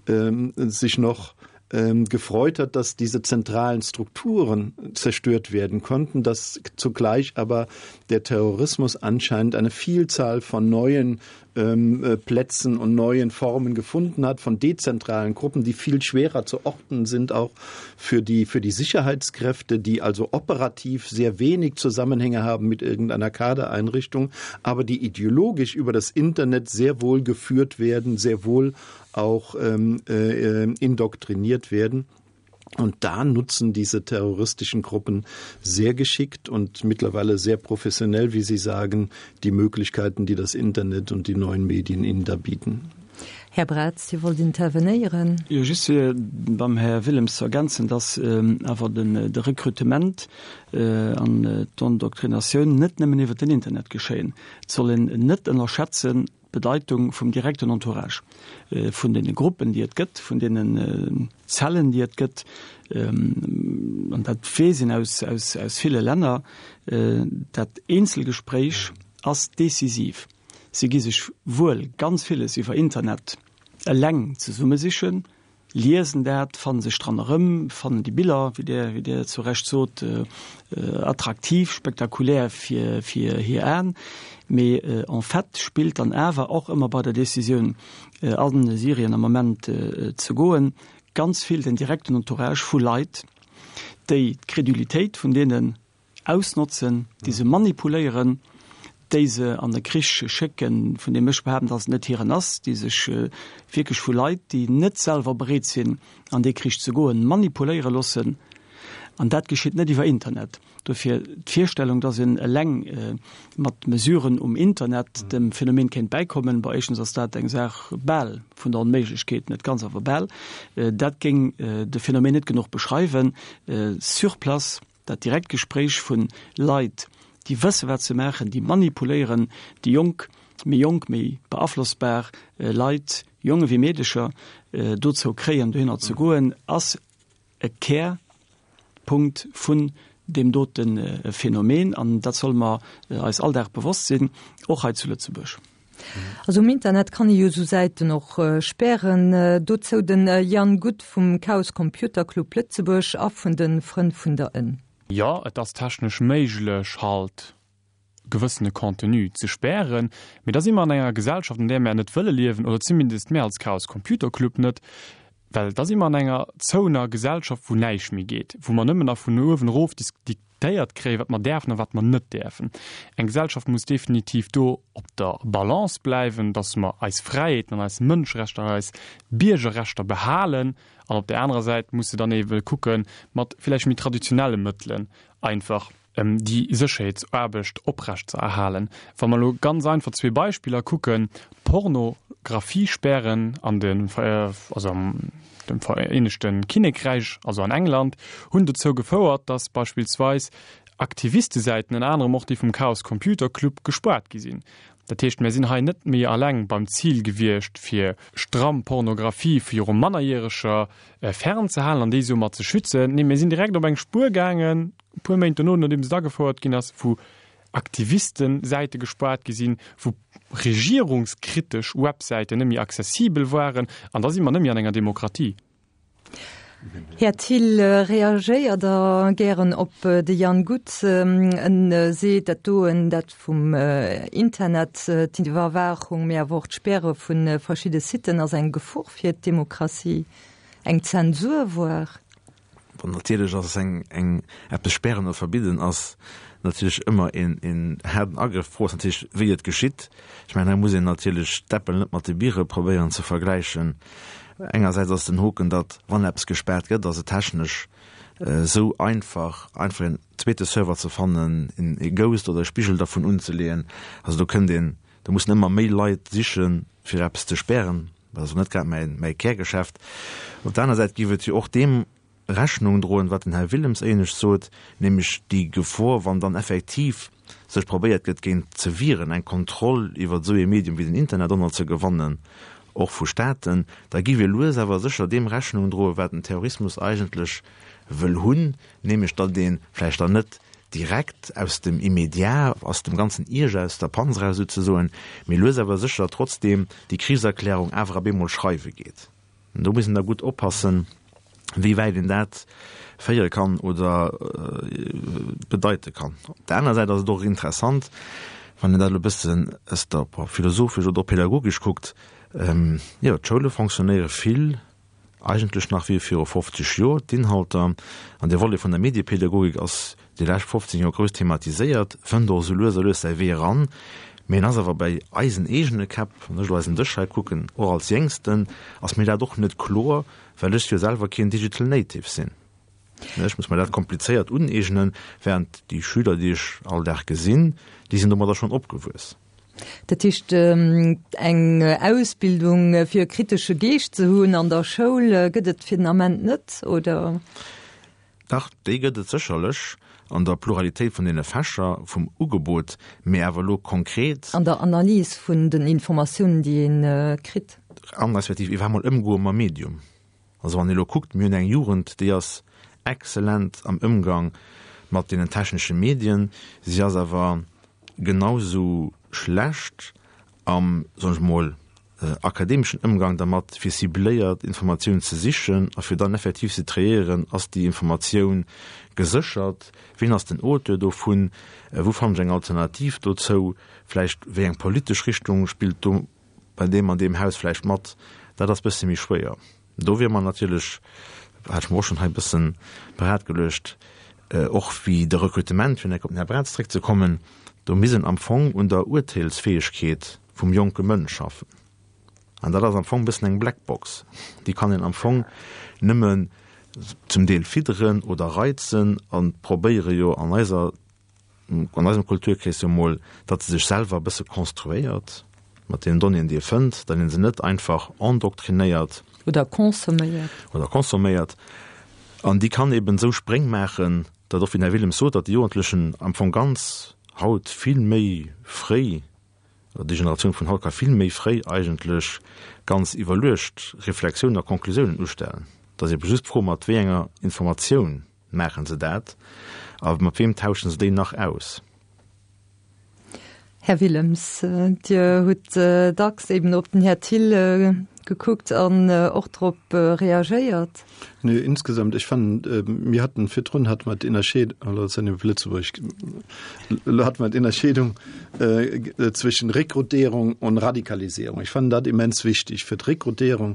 ähm, sich noch, ähm, gefreut hat, dass diese zentralen Strukturen zerstört werden konnten, dass zugleich aber der Terrorismus anscheinend eine Vielzahl von neuen, ähm, äh, Plätzen und neuen Formen gefunden hat, von dezentralen Gruppen, die viel schwerer zu orten sind, auch für die, für die Sicherheitskräfte, die also operativ sehr wenig Zusammenhänge haben mit irgendeiner Kadereinrichtung, aber die ideologisch über das Internet sehr wohl geführt werden, sehr wohl auch, ähm, äh, äh, indoktriniert werden. Und da nutzen diese terroristischen Gruppen sehr geschickt und mittlerweile sehr professionell, wie Sie sagen, die Möglichkeiten, die das Internet und die neuen Medien ihnen da bieten.
Här Braz, Sie wollt intervenieren?
Jo, just fir beim Här Willems ze ergänzen, dass, ähm, awer den, de Rekrutement, äh, an, äh, d'Endoktrinatioun net nëmmen iwwer den Internet geschéien. Et soll een net ënnerschätzen d'Bedeitung vum direkten Entourage, äh, vun den Gruppen, déi et gëtt, vun den, äh, Zellen, déi et gëtt. Ähm, an dat weess een aus, aus, aus ville Länner, äh, dat Einzelgespräch ass decisiv. Sie gi sech wuel ganz vieles iwwer Internet eleng zesummesichen, liesen dat, fannen sech dran erëm, fannen déi Biller, wie der, wie der zu Recht sot, äh, äh, attraktiv, spektakulär fir, fir hir Aen. Mee, äh, en fait spielt dann awer och ëmmer bei der Decisioun, äh, an Syrien am Moment, äh, ze goen, ganz viel den direkten Entourage vu Leit, déi d'Credulitéit vun denen ausnotzen, déi se manipuléieren, déi se an de Krich schécken, vun dem ech behaupten, dass net hiren ass, déi sech, äh, wierklech vu Leit, déi net selwer bereet sinn, an de Krich ze goen, manipuléiere loossen. An dat geschitt net iwwer Internet. Dofir d'Virstellung, dass een eleng, äh, mat Mesuren um Internet dem Phänomen kéint beikommen, bei éischtens ass dat eng Saach bal vun der Onméiglechkeet, net ganz awer bal. Äh, dat géing, äh, de Phänomen net genuch beschreiwen. Äh, sur place, dat Direktgespräch vun Leit, déi wësse wat ze maachen, déi manipuléieren, déi jonk, méi jonk, méi beaflossbar, äh, Leit, Jonge wie Meedecher, äh, dozou kréien, dohinner ze goen, ass e Kernpunkt vun dem doten, äh, Phänomen, an dat soll mer, äh, eis all Dag bewosst sinn, och hei zu Lëtzebuerg.
Also im Internet kann ich jo so Seiten och, äh, sperren. Äh, dozou den, äh, Jan Guth vum Chaos Computer Club Lëtzebuerg a vun den Frënn vun der Ënn.
Ja, et ass technesch méiglech halt gewëssene Contenu ze sperren, mee da si mer an enger Gesellschaft, an där mer net wëlle liewen, oder zumindest mehr als Chaos Computer Club net, well da si mer an enger zouener Gesellschaft, wou näischt méi geet, wou mer nëmmen nach vun uewen erof dis-, diktéiert kréien, wat mer däerfen a wat mer net däerfen. Eng Gesellschaft muss definitiv do op der Balance bleiwen, dass mer eis Fräiheeten an eis Mënschrechter an eis Biergerrechter behalen, an op der anderer Säit muss se dann eben kucken, mat vielleicht méi traditionelle Mëttelen einfach, ähm, die Sicherheitsaarbecht oprecht ze erhalen. Wann man lo ganz einfach zwei Beispieler kucken, Pornografiesperren an den, äh, also am dem Vereinigten Kinnekreich, also an England, hunn dozou gefouert, dass beispielsweis Aktivisteseiten, ënner anderem och déi vum Chaos Computer Club, gespaart gi sinn. Dat heescht, mir sinn hei net méi alleng beim Ziel gewiescht, fir stramm Pornografie fir ihre Mannerjähriger, äh, fernzuhalten an déi soumat ze schützen. Nee, mir sinn direkt op eng Spur gaangen, e puer Méint dono, nodeem se da gefouert ginn ass, wou Aktivistenseite gespaart gi sinn, wou regierungskritisch Webseiten net méi accessibel waren, an da si mer net méi an enger Demokratie.
Här Thill, äh, reagéiert der gären op, äh, de Jan Guth, ähm, en, äh, seet dat doen dat vum, äh, Internet, äh, d'Iwwerwaachung mehr Wortsperre vun, äh, verschiedene Sitten ass eng Gefor fir d'Demokratie, eng Zensur war.
Bon, natierlech ass eng, eng eppes sperren oder verbidden ass natierlech ëmmer een, een harten Agriff. Fro ass natierlech, wéi et geschitt. Ich meine, da muss een natierlech d'Äppel net mat de Biere probéieren ze vergläichen. Engersäits ass den Hoken, datt wann eppes gesperrt gëtt, ass et technesch, äh, sou einfach, einfach en zweete Server ze fannen, en, e Ghost oder e Spigel davon unzeleeën. Also do kënnt een, do mussen ëmmer méi Leit sichen, fir eppes ze sperren. Dat ass net grad mäin, mäi Kärgeschäft. Op der aner Säit giff et jo och dem Rechnung droen, wat den Herr Willems éinescht sot, nämlech déi Gefor, wann dann effektiv sech probéiert gëtt, géint ze wieren, eng Kontroll iwwer sou e Medium wie den Internet ënner ze gewannen, och vu Staaten, da gi wir lues awer sécher deem Rechnung droen, wat den Terrorismus eigentlech wëll hunn, nämlech datt een vläicht dann net direkt aus dem Immédiat, aus dem ganzen Ierger, aus der Panz eraus souzesoen, mee lues awer sécher trotzdeem déi Krichserklärung awer op eemol schreiwe geet. An do muss een da gutt oppassen, wéi wäit een dat féiere kann oder bedeite kann. Op der anerer Säit ass et och interessant, wann een dat elo e bëssen aus der, philosophesch oder och pädagogesch kuckt, jo, d'Schoule fonctionnéiere vill eigentlech nach wéi viru fofzeg Joer. D'Inhalter an de Volet vun der Mediepädagogik ass déi lescht fofzéng Joer grouss thematiséiert, fënnt och esou lues a lues säi Wee eran, mee en ass awer bei eisen eegene Käpp, wann ech elo eisen Dësch hei kucken, och als Jéngsten, ass mir dat och net kloer, well ech jo selwer keen Digital Native sinn. Ech muss mer dat komplizéiert uneegnen, während déi Schüler, déi ech all Dag gesinn, déi sinn domadder schonn opgewuess.
Dat heescht, eng Ausbildung fir e kritesche Geescht ze hunn an der Schoul gëtt et fir den Ament net, oder?
Dach, déi gëtt et sécherlech an der Pluralitéit vun deene Fächer, vum Ugebot, mee awer elo konkret.
An der Analys vun den Informatiounen, déi ee kritt.
An respektiv iwwerhaapt mol ëmgoe mam Medium. Also wann ee elo kuckt, mir hunn eng Jugend, déi ass exzellent am Ëmgang mat deenen technesche Medien, si ass awer genau sou schlecht am, soen ech mol, akademeschen Ëmgang dermat, fir cibléiert Informatioun ze sichen a fir dann effektiv ze triéieren, ass déi Informatioun geséchert, wien ass den Auteur dovun, wou fannen ech eng Alternativ dozou, vläicht wéi eng politesch Richtung spillt do bei deem an deem Haus vläicht mat, dat ass bësse méi schwéier. Do wier mer natierlech, hat ech mer och schonn hei e bësse parat geluecht, och wéi de Rekrutement, fir nach op den Här Braz zréckzekommen, do misst een am Fong un der Urteelsfäegkeet vum jonke Mënsch schaffen. An dat ass am Fong e bëssen eng Blackbox. Déi kann een am Fong nëmmen zum Deel fidderen oder reizen a probéiere jo an eiser, an eisem Kulturkrees jo mol, datt se sech selwer e bësse konstruéiert mat deenen Donnéeën, déi e fënnt, datt ee se net einfach endoctrinéiert.
Oder consomméiert.
Oder consomméiert. An déi kann eben esou Spréng maachen, datt och, wéi den Här Willems sot, datt déi Jugendlechen am Fong ganz haut vill méi fréi, oder déi Generatioun vun haut ka vill méi fréi eigentlech ganz iwwerluecht Reflexiounen a Conclusiounen ustellen. Et ass ebe just d'Fro, mat wéi enger Informatioun maache se dat a mat weem tauschen se déi nach aus.
Här Willems, Dir hutt dacks eben op den Här Thill gekuckt an och drop reagéiert.
Nee, insgesamt, ech fannen, mir haten virdrun hate mer d'Innerscheed, elo sinn ech op Lëtzebuerg, elo hate mer d'Innerscheedung zwëschen Rekrutierung und Radikalisierung. Ech fannen dat immens wichtig. Fir d'Rekrutierung,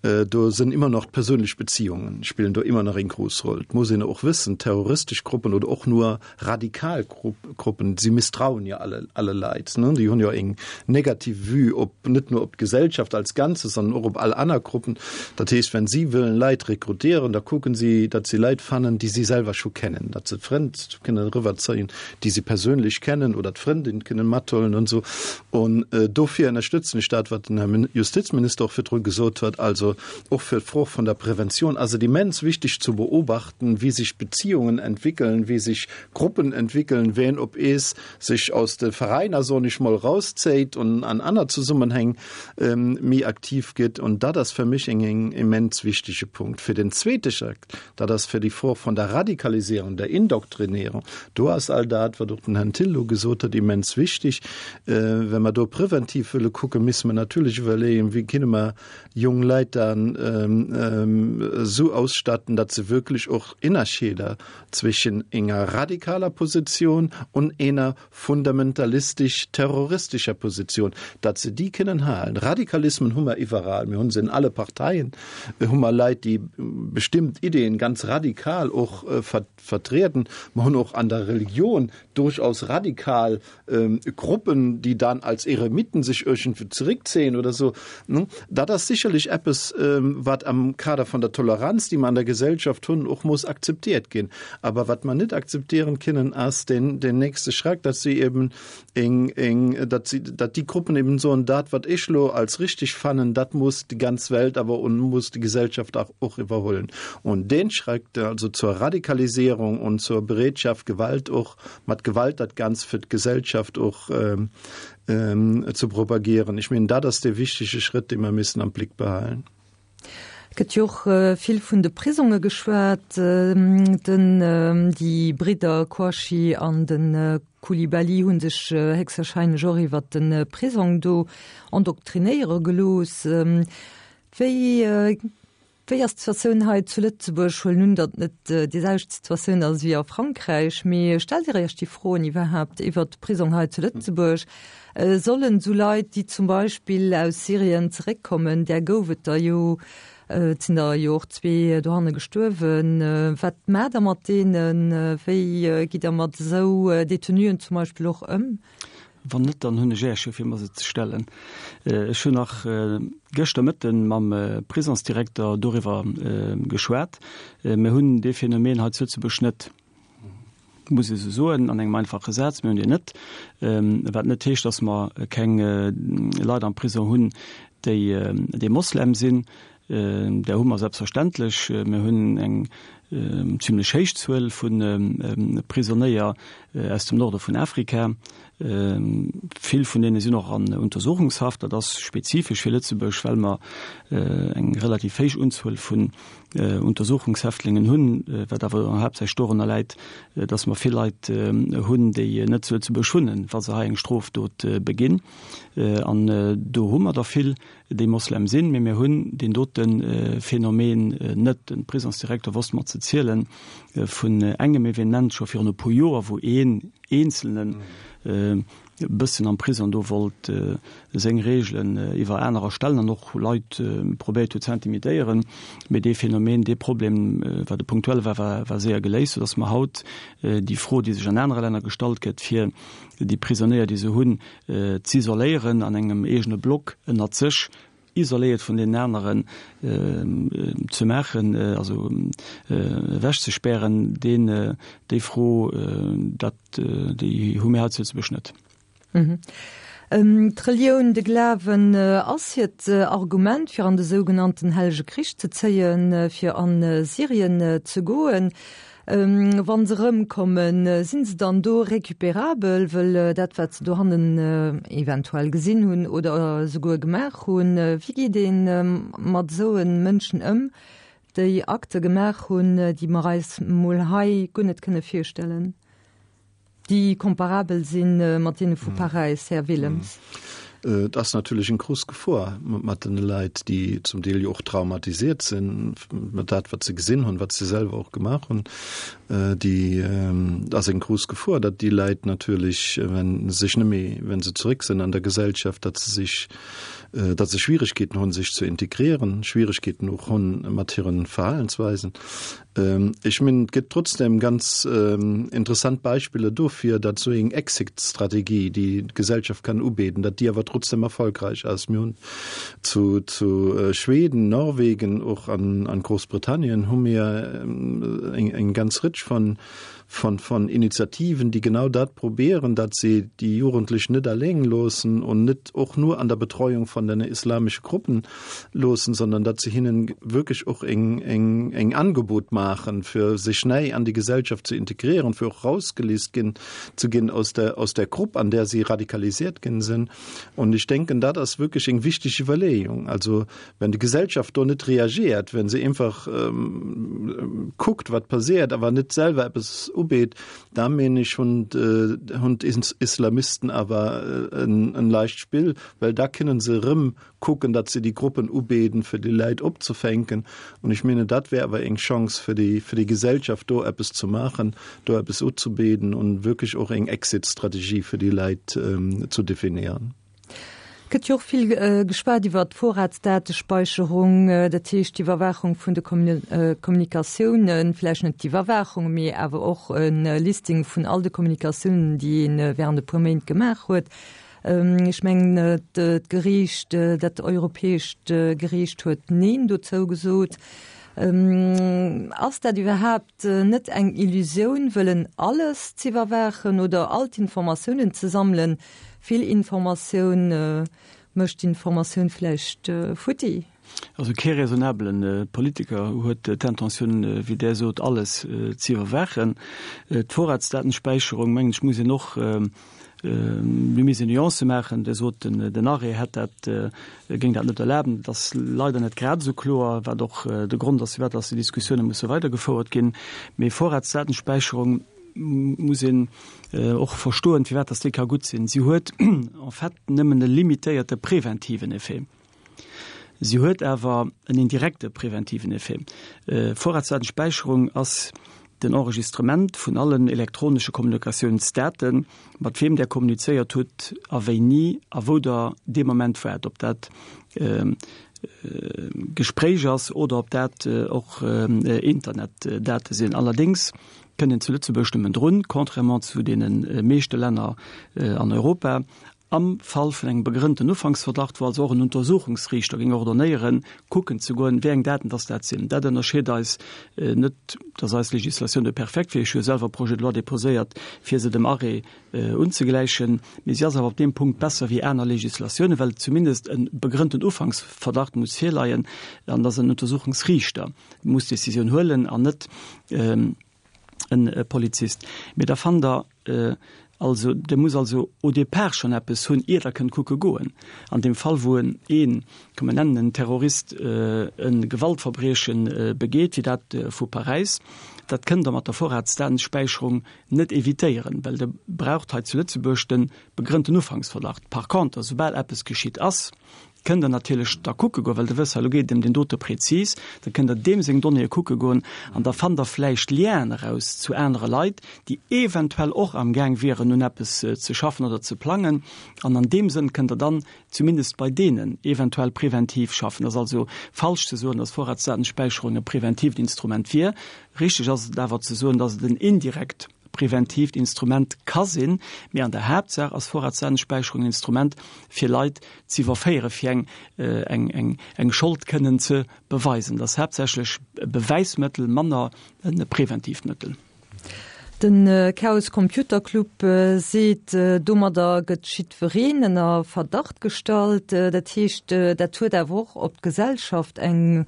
do sinn immer noch d'perséinlech Beziehungen spillen do immer nach eng grouss Roll. Et muss een och wëssen, terroristesch Gruppen oder och nur radikal Gruppen, si misstrauen jo alle, alle Leit, ne? Déi hunn jo eng negativ Vue op, net nur op d'Gesellschaft als Ganzes, sondern och op all aner Gruppen. Dat heescht, wenn si wëllen Leit rekrutieren, da kucken si, datt si Leit fannen, déi si selwer scho kennen, datt se Frënd kënnen eriwwerzéien, déi si perséinlech kennen oder d'Frëndin kënnen mathuelen und so. Und dofir ënnerstëtzen ech dat, wat den Här Justizminister och virdru gesot huet, also och fir d'Fro vun der Prävention ass et immens wichteg zu beobachten, wéi sech Beziehungen entwickeln, wéi sech Gruppen entwickeln, ween op ees sech aus de Veräiner, soen ech mol, rauszéit und an aner Zesummenhäng méi aktiv gëtt. Und dat ass fir mech eng immens wichtege Punkt. Fir den zweete Schritt, dat ass fir déi Fro vun der Radikalisierung, der Indoktrinierung, do ass all dat, wat och den Herrn Thill elo gesot huet, immens wichteg. Wa mer do präventiv wëlle kucken, misse mer natierlech iwwerleeën, wéi kinne mer jong Leit dann esou ausstatten, datt se wierklech och Innerscheeder zwischen enger radikaler Position und enger fundamentalistisch-terroristischer Position, datt se déi kënnen halen. Radikalismen hu mer iwwerall, mir hu se in alle Parteien, hu mer Leit, déi bestimmt Ideen ganz radikal och vertreten. Mer hunn och an der Religion durchaus radikal Gruppen, déi dann als Eremiten sech iergendwou zeréckzéien oder sou. Dat ass sicherlech eppes, wat am Kader vun der Toleranz, déi mer an der Gesellschaft hunn, och muss akzeptiert ginn. Aber wat mer net akzeptieren kënnen, ass den, den nächste Schrack, datt si eben eng, eng, datt si, datt déi Gruppen eben soen, dat wat ech lo als richtig fannen, dat muss déi ganz Welt awer und muss die Gesellschaft auch, och iwwerhuelen. holen. Und den Schritt also zur Radikalisierung und zur Bereitschaft Gewalt och mat Gewalt dat Ganzt fir d'Gesellschaft och ähm, ähm, ze propagieren. Ech mengen dat ass de wichtege Schritt, dee mer missen am Blick behalen.
Et gëtt jo och vill vun de Prisonge geschwat, den déi Bridder Kouachi an de Coulibaly hu sech héchstwahrscheinlech och iwwert de Prisong do endoktrinéiere gelooss. Wéi wéi ass d'Situatioun hei zu Lëtzebuerg? Huelen un, datt net déi selwecht Situatioun ass wéi a Frankräich, mee stellt Dir Iech déi Froen iwwerhaapt iwwert d'Prisong hei zu Lëtzebuerg? Sollen esou Leit, déi zum Beispill aus Syrien zeréckkommen, där gouf et der jo, et sinn der jo och zwee dohanne gestuerwen, wat maacht Der mat deenen? Wéi gitt Der mat esou Detenuen zum Beispill och ëm?
Wann net, dann hunn ech Äech jo fir mer se ze stellen. Ech hunn nach gëschter Mëtten mam Prisongsdirekter doriwwer geschwat. Mir hunn dee Phänomen hei zu Lëtzebuerg net, muss ech esou soen an engem einfache Saz. Mir hunn deen net, wat net heescht, datt mer keng Leit am Prisong hunn, déi, déi Moslem sinn. Där hu mer selbstverständlech. Mir hunn eng zimlech héich Zuel vu Prisonéier aus dem Norde vun Afrika. Vill vun deene sinn och an Untersuchungshaft. Dat ass spezifesch fir Lëtzebuerg, well mer eng relativ héich Unzuel vun Untersuchungshäftlingen hunn, wat awer haaptsächlech dorunner läit, datt mer vill Leit hunn, déi net zu Lëtzebuerg wunnen, wa se hei eng Strofdot beginn. An do hu mer der vill. déi Moslem sinn, mee mir hunn deen dote Phänomen net. Den Prisongsdirekter wosst mer ze zielen vun engem Evenement scho virun e puer Joer, wou een Eenzelnen e bëssen am Prisong do wollt seng Reegelen iwwer anerer stellen an och Leit probéiert huet ze intimidéieren. Mee dee Phänomen, dee Problem, wat e punktuell war, war séier geléist, soudass mer haut déi Fro, déi sech an anere Länner gestallt gëtt, fir déi Prisonéier, déi se hunn, z'isoléieren an engem eegene Block ënnert sech, isoléiert vun deenen aneren ze maachen, also ewechzespären, deen, déi Fro, dat, déi hu mir hei zu Lëtzebuerg net.
D'Relioun, de Glawen ass hiert Argument, fir an de sougenannten hellege Krich ze zéien, fir a Syrien ze goen. Wa se erëmkommen, sinn se dann do recuperabel, wëll dat, wat se dohannen eventuell gesinn hunn oder esouguer gemaach hunn, wéi geet ee mat esou Mënschen ëm, déi Akte gemaach hunn, déi mer eis mol hei guer net kënne virstellen, déi komparabel si mat deene vu Paräis, Här Willems?
Et ass natierlech eng grouss Gefor mat den Leit, déi zum Deel jo och traumatiséiert sinn, mat dat, wat se gesinn hunn, wat se selwer och gemaach hunn. Déi, et ass eng grouss Gefor, datt déi Leit natierlech, wenn sech net méi, wenn se zeréck sinn an der Gesellschaft, datt se sech, datt se Schwieregkeeten hunn, sech ze integrieren, Schwieregkeeten och hunn mat hiren Verhalensweisen. Ech mengen, et gëtt trotzdem ganz interessant Beispiller dofir, datt esou eng Exit-Strategie, déi d'Gesellschaft kann ubeden, datt déi awer trotzdem erfolgreich ass. Mir hunn zu, zu Schweden, Norwegen, och an, an Großbritannien hu mir eng, eng ganz Ritsch von, von, von Initiativen, déi genau dat probéieren, datt se déi Jugendlech net alleng loossen und net och nur an der Betreuung von den islamesche Gruppen loossen, sondern datt se hinnen wierklech och eng, eng, eng Angebot maachen, fir sech nei an déi Gesellschaft ze integrieren, fir och rausgelist ginn, ze ginn aus der, aus der Grupp, an der si radikalisiert ginn sinn. Und ich denken, dat ass wierklech eng wichteg Iwwerleeung. Also wenn die Gesellschaft do net reagiert, wenn se einfach ähm, kuckt, wat passiert, awer net selwer eppes ubeet, da meen ech hunn hunn d'Islamisten awer en, en leicht Spill, well da kënnen se rëm kucken, datt se déi Gruppen ubeden, fir déi Leit opzefänken. Und ich meine, dat wär awer eng Chance fir déi, fir déi Gesellschaft do eppes ze maachen, do eppes uzubeden und wierklech och eng Exit-Strategie fir déi Leit ähm, zu definieren.
Gëtt jo och vill geschwat iwwer d'Vorratsdatespeicherung, dat heescht d'Iwwerwaachung vun de Kommunikatiounen, vläicht net d'Iwwerwaachung, mee awer och e Listing vun all de Kommunikatiounen, déi ee während e puer Méint gemaach huet. Ech mengen, d'Geriicht, dat europäescht Geriicht huet Neen dozou gesot. Ass dat iwwerhaapt net eng Illusioun, wëllen alles z'iwwerwaachen oder all d'Informatiounen ze sammelen? Vill Informatioun mécht d'Informatioun vläicht futti?
Also kee raisonnabelen Politiker huet d'Intentioun, wéi Der sot, alles ze iwwerwaachen. D'Vorratsdatenspäicherung, mengen ech, muss een och, mir misst Nuancë maachen. Der sot, den Arrêt hätt dat, géing dat net erlaben. Dat ass leider net grad esou kloer, wat och de Grond ass, firwat dass déi Diskussioune musse weidergefouert ginn. Mee Vorratsdatenspäicherung muss een och verstoen, firwat dass déi ka gutt sinn. Si huet en fait nëmmen e limitéierte preventiven Effet. Si huet awer en indirekte preventiven Effet. Vorratsdatenspäicherung ass den Enregistrement vun allen elektronesche Kommunikatiounsdaten, mat weem Der kommunizéiert hutt a wéini a wou Der dee Moment waart, ob dat Gespréich ass oder ob dat och Internetdate sinn. Allerdéngs kënnt een zu Lëtzebuerg nëmmen drun, contrairement zu deene meeschte Länner an Europa, am Fall vun engem begrënnten Ufanksverdacht, wou also och en Untersuchungsriichter géing ordonnéieren, kucken ze goen, wéi eng Daten dass dat sinn. Dat ënnerscheet eis net, dass eis Legislatioun do perfekt wier. Ech hu jo selwer e Projet de loi déposéiert, fir se dem Arrêt unzegläichen, mee si ass awer op deem Punkt besser wéi aner Legislatiounen, well zumindest e begrënnten Ufanksverdacht muss virleien an dass en Untersuchungsriichter muss d'Décisioun huelen an net e Polizist. Mee da fannt Der also, Der musst also au départ schonn eppes hunn, ier Der kënnt kucke goen. An deem Fall, wou en een, komm mer nennen en Terrorist, e Gewaltverbrieche begeet, wéi dat vu Paräis, dat kënnt Der mat der Vorratsdatenspäicherung net evitéieren, well Der braucht hei zu Lëtzebuerg de begrënnten Ufanksverdacht. Par conter, soubal eppes geschitt ass, kënnt Der natierlech da kucke goen, well Der wësst, hei elo geet et ëm deen dote prezis, da kënnt Der deem seng Donnéeë kucke goen an da fannt Der vläicht Lienen eraus zu anere Leit, déi eventuell och amgaang wieren, un eppes ze schaffen oder ze plangen. An an deem Sënn kënnt Der dann zumindest bei deenen eventuell preventiv schaffen. Et ass also falsch ze soen, dass Vorratsdatenspäicherung e preventiivt Instrument wier. Richteg ass et awer ze soen, dass et en indirekt preventiivt Instrument ka sinn, mee an der Haaptsaach ass Vorratsdatenspäicherung en Instrument, fir Leit ze iwwerféieren, fir eng, eng, eng, eng Schold kënnen ze beweisen. Dat ass haaptsächlech e Bewäismëttel, manner e preventiivt Mëttel.
De Chaos Computer Club seet, domadder gëtt jiddwereen ënner Verdacht gestallt. Dat heescht, dat huet awer och op d'Gesellschaft eng,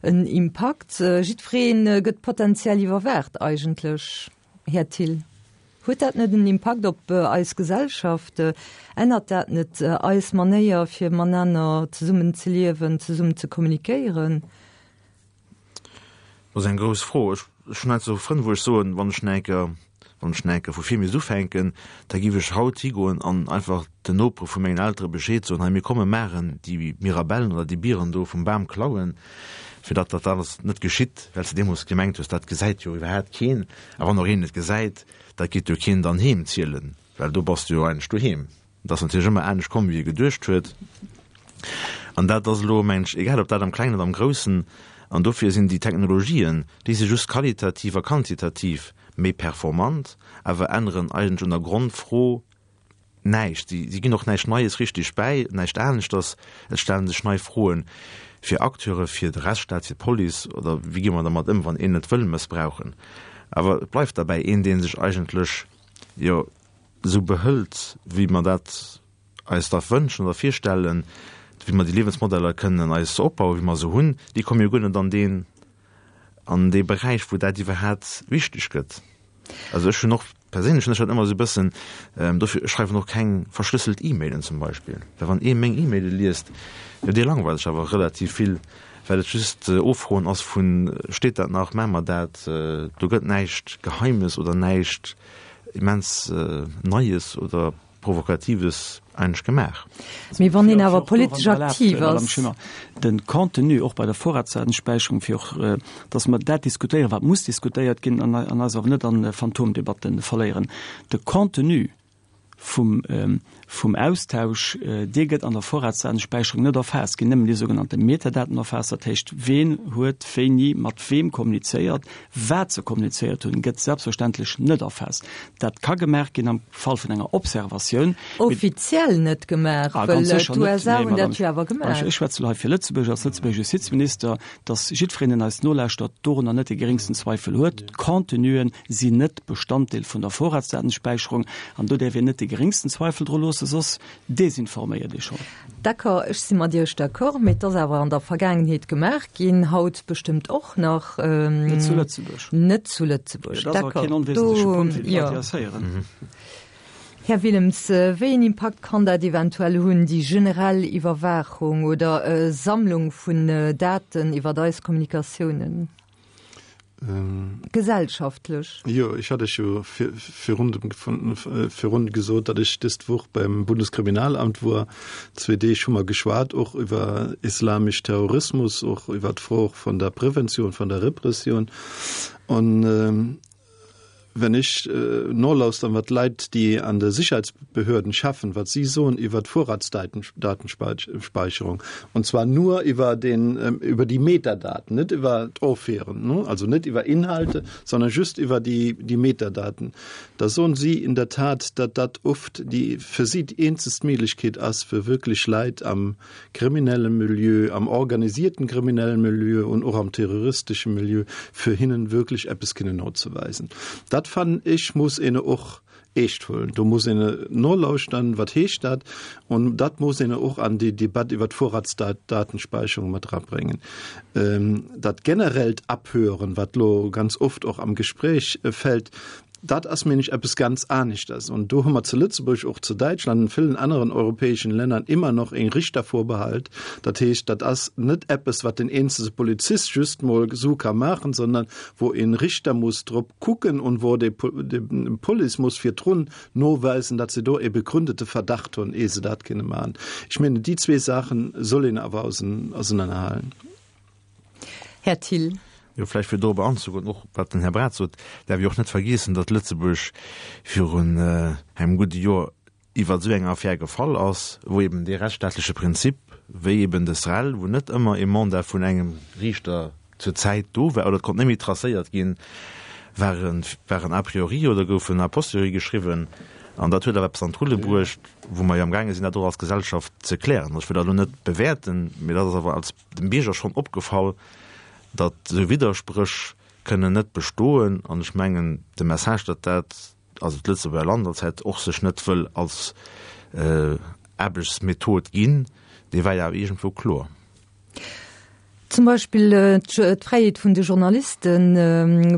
en Impakt. Jiddweree gëtt potenziell iwwerwaacht eigentlech. Här Thill, huet dat net en Impakt op eis Gesellschaft? Ännert dat net eis Manéier, fir matenaner zesummen ze liewen, zesummen ze kommunikéieren?
Dat ass eng grouss Fro. Ech hunn heiansdo Frënn, wou ech soen, wann ech nach eng Kéier, wann ech nach eng Kéier vu vir misst ufänken, da géif ech haut higoen an einfach den Nopere vu mengen Eltere Bescheed soen, hei mir komme maachen déi Mirabellen oder déi Bieren do vum Bam klauen, fir datt dat alles net geschitt, well s de deemools gemengt hues, dat gesäit jo iwwerhaapt keen. A wann och een et gesäit, dat geet jo keen dann heem zielen, well do bass de jo eigentlech doheem. Et ass natierlech ëmmer anescht komm, wéi ee geduecht huet. An dat ass elo, mengen ech, egal ob dat am Klengen oder am Groussen, an dofir sinn déi Technologien, déi si just qualitativ a quantitativ méi performant, awer änneren eigentlech un der Grondfro näischt. Si, si ginn och näischt Neies richtig bäi, näischt aneschters. Et stellen sech nei Froen fir Acteure, fir de Rechtsstaat, fir d'Police oder wéi gi mer dermat ëm, wann een et wëll mëssbrauchen. Awer et bleift derbäi, een, dee sech eigentlech, jo, esou behëlt, wéi mer dat eis da wënschen oder virstellen, wéi mer déi Liewensmodeller kënnen eis opbauen, wéi mer se hunn, déi komme jo guer net an deen, an dee Beräich, wou dat iwwerhaapt wichteg gëtt. Also ech hunn och perséinlech hunn ech dat ëmmer esou e bëssen, dofir, ech schreiwen och keng verschlësselt E-Mailen zum Beispill, well wann ee meng E-Maile liest, jo dee langweilt sech awer relativ vill, well et just Offroen ass vun, steet dat nach, maache mer dat, do gëtt näischt Geheimes oder näischt immens Neies oder Provokatives eigentlech gemaach.
Mee wann een awer politesch aktiv ass.
De Contenu och bei der Vorratsdatenspeicherung, fir och, dass mer dat diskutéieren, wat muss diskutéiert ginn, an eis awer net a Phantomdebatte verléieren. De Contenu vum, vum Austausch, dee gëtt an der Vorratsdatenspeicherung net erfaasst, ginn nëmmen déi sougenannte Metadaten erfaasst, dat heescht, ween huet wéini mat weem kommunizéiert, wat se kommunizéiert hunn, gëtt selbstverständlech net erfaasst. Dat ka gemaach ginn am Fall vun enger Observatioun.
Offiziell net gemaach, well d'USA hunn dat jo awer gemaach.
Ech schwätze elo hei fir Lëtzebuerg als Lëtzebuerger Justizminister, dass jiddwereen, deen eis nolauschtert, dorunner net de geréngsten Zweifel huet, D'Contenuen sinn net Bestanddeel vun der Vorratsdatenspäicherung an do däerf een net de de geréngsten Zweifel dru loossen, soss desinforméiert ee schonn.
D'accord, ech si mat Iech d'accord, mee et ass awer an der Vergaangenheet gemaach ginn, haut bestëmmt och nach.
Net zu Lëtzebuerg.
Net zu Lëtzebuerg,
d'accord. Dat ass awer keen onwesentleche Punkt, fir d'Leit, déi eis héieren.
Här Willems, wéi een Impakt kann dat eventuell hunn, déi generell Iwwerwaachung oder Sammlung vun Daten iwwert eis Kommunikatiounen? Gesellschaftlech?
Jo, ech hat Iech jo virun virun gesot, datt ech dëst Woch beim Bundeskriminalamt wor. Zwee Deeg hu mer geschwat, och iwwer islamesch Terrorismus, och iwwer d'Fro vun der Preventioun, vun der Repressioun. An Wenn ech nolauschtern, wat Leit, déi an de Sicherheitsbehörden schaffen, wat si soen iwwer d'Vorratsdatenspeicherung, und zwar nur iwwer den, iwwer déi Metadaten, net iwwer d'Offeren, also net iwwer Inhalte, sondern just iwwer déi, déi Metadaten, da soen si in der Tat, datt dat oft déi fir si déi eenzegst Méiglechkeet ass, fir wierklech Leit am kriminelle Milieu, am organisierten kriminellen Milieu und och am terroristesche Milieu, fir hinnen wierklech eppes kënnen nozeweisen. Dat fannen ech muss een och eescht huelen. Do muss een nolauschtern, wat heescht dat? Und dat muss een och an déi Debatt iwwer d'Vorratsdatenspeicherung mat erabréngen. Dat generellt Abhören, wat lo ganz oft och am Gespräch fällt, dat ass mengen ech eppes ganz aneschters. Und do hu mer zu Lëtzebuerg, och zu Däitschland an villen aneren europäeschen Länner immer noch en Richtervorbehalt. Dat heescht, dat ass net eppes, wat den eenzele Polizist just mol esou ka maachen, sondern wou en Richter muss drop kucken und wou de Police muss virdrun noweisen, datt se do e begründete Verdacht hunn, ehe se dat kënne maachen. Ech mengen, déi zwee Saachen soll een awer ausenanerhalen.
Här Thill.
Jo, vläicht fir dorobber anzegoen, och wat den Här Braz sot, däerf ee och net vergiessen, datt Lëtzebuerg virun engem gudde Joer iwwer esou eng Affär gefall ass, wou eben dee rechtsstaatleche Prinzip, wéi eben de SREL, wou net ëmmer ee Mandat vun engem Riichter zur Zäit do war oder et konnt net méi tracéiert ginn, waren, waren a priori oder goufen a posteriori geschriwwen. An dat huet awer eppes an d'Rulle bruecht, wou mer jo amgaange sinn, dat och als Gesellschaft ze klären. Ech wëll dat elo net bewäerten, mee dat ass awer als dem Bierger schonn opgefall, datt esou Widderspréch kënnen net bestoen. An ech mengen, de Message, datt dat, also d'Lëtzebuerger Land als hätt och sech net wëll als Aarbechtsmethod ginn, dee war jo awer iergendwou kloer.
Zum Beispill d'Fräiheet vun de Journalisten,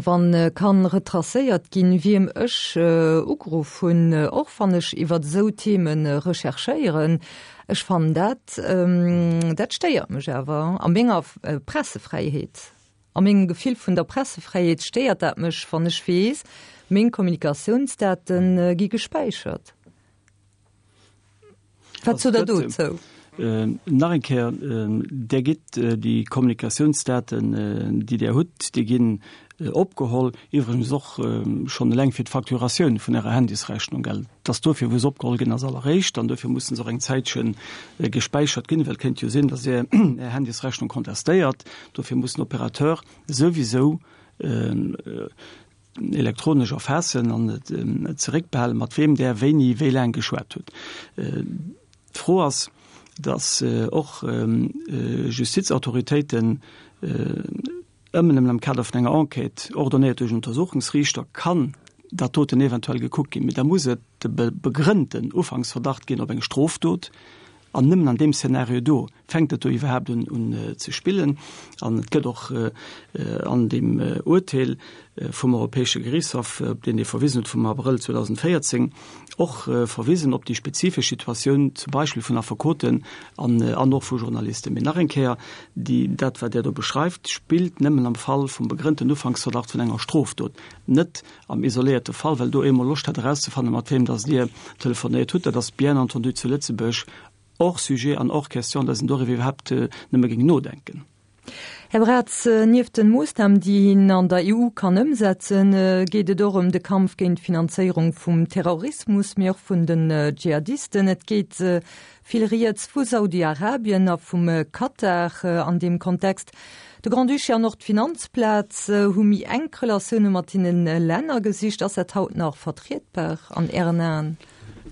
wann kann retracéiert ginn, wiem ech ugeruff hunn, och wann ech iwwert esou Themen recherchéieren. Ech fannen dat, dat stéiert mech awer a menger Pressefräiheet. A mengem Gefill vun der Pressefräiheet stéiert dat mech, wann ech weess, meng Kommunikatiounsdate gi gespäichert. Wat sot Der dozou?
Nach eng Kéier, Der gitt déi Kommunikatiounsdaten, déi Der hutt, déi ginn opgeholl, iwwregens och schonn eleng fir d'Facturatioun vun Ärer Handysrechnung, gell. Et ass dofir, wou se opgeholl ginn als alleréischt, an dofir mussen se och eng Zäitche gespäichert ginn, well et kéint jo sinn, datt Dir Är Handysrechnung contestéiert. Dofir muss den Opérateur souwisou elektronesch erfaassen an et zeréckbehalen, mat weem Der wéini wéi laang geschwat hutt. D'Fro ass, datt och Justizautoritéiten ëmmer nëmmen am Kader vun enger Enquête, ordonnéiert duerch en Untersuchungsriichter, kann dat doten eventuell gekuckt ginn. Mee da muss et de begrënnten Ufanksverdacht ginn op eng Strofdot. An nëmmen an deem Szenario do fänkt et do iwwerhaapt un un ze spillen. An et gëtt och an deem Urteel vum Europäesche Geriichtshaff, op deen Dir verwisen hutt, vum Abrëll zweedausendvéierzéng, och verwisen op déi spezifesch Situatioun zum Beispill vun Affekoten an an och vu Journalisten. Mee nach eng Kéier, déi, dat wat Där do beschreift, spillt nëmmen am Fall vum begrënnten Ufanksverdacht vun enger Strofdot, net am isoléierte Fall, well do eemol Loscht hat erauszefannen, mat weem dass Dir telefonéiert hutt. Dat ass bien entendu zu Lëtzebuerg hors sujet an hors question, dass een doriwwer iwwerhaapt nëmme géing nodenken.
Här Braz, nieft den Moossnamen, déi een an der E U kann ëmsetzen, geet et och ëm de Kampf géint d'Finanzéierung vum Terrorismus, mee och vun den Dschihadisten. Et geet vill Rieds vu Saudi-Arabien a vum Katar an deem Kontext. De Grand-Duché an och d'Finanzplaz hu méi enk Relatioune mat deene Länner gesicht. Ass dat haut nach vertrietbar an Ären Aen?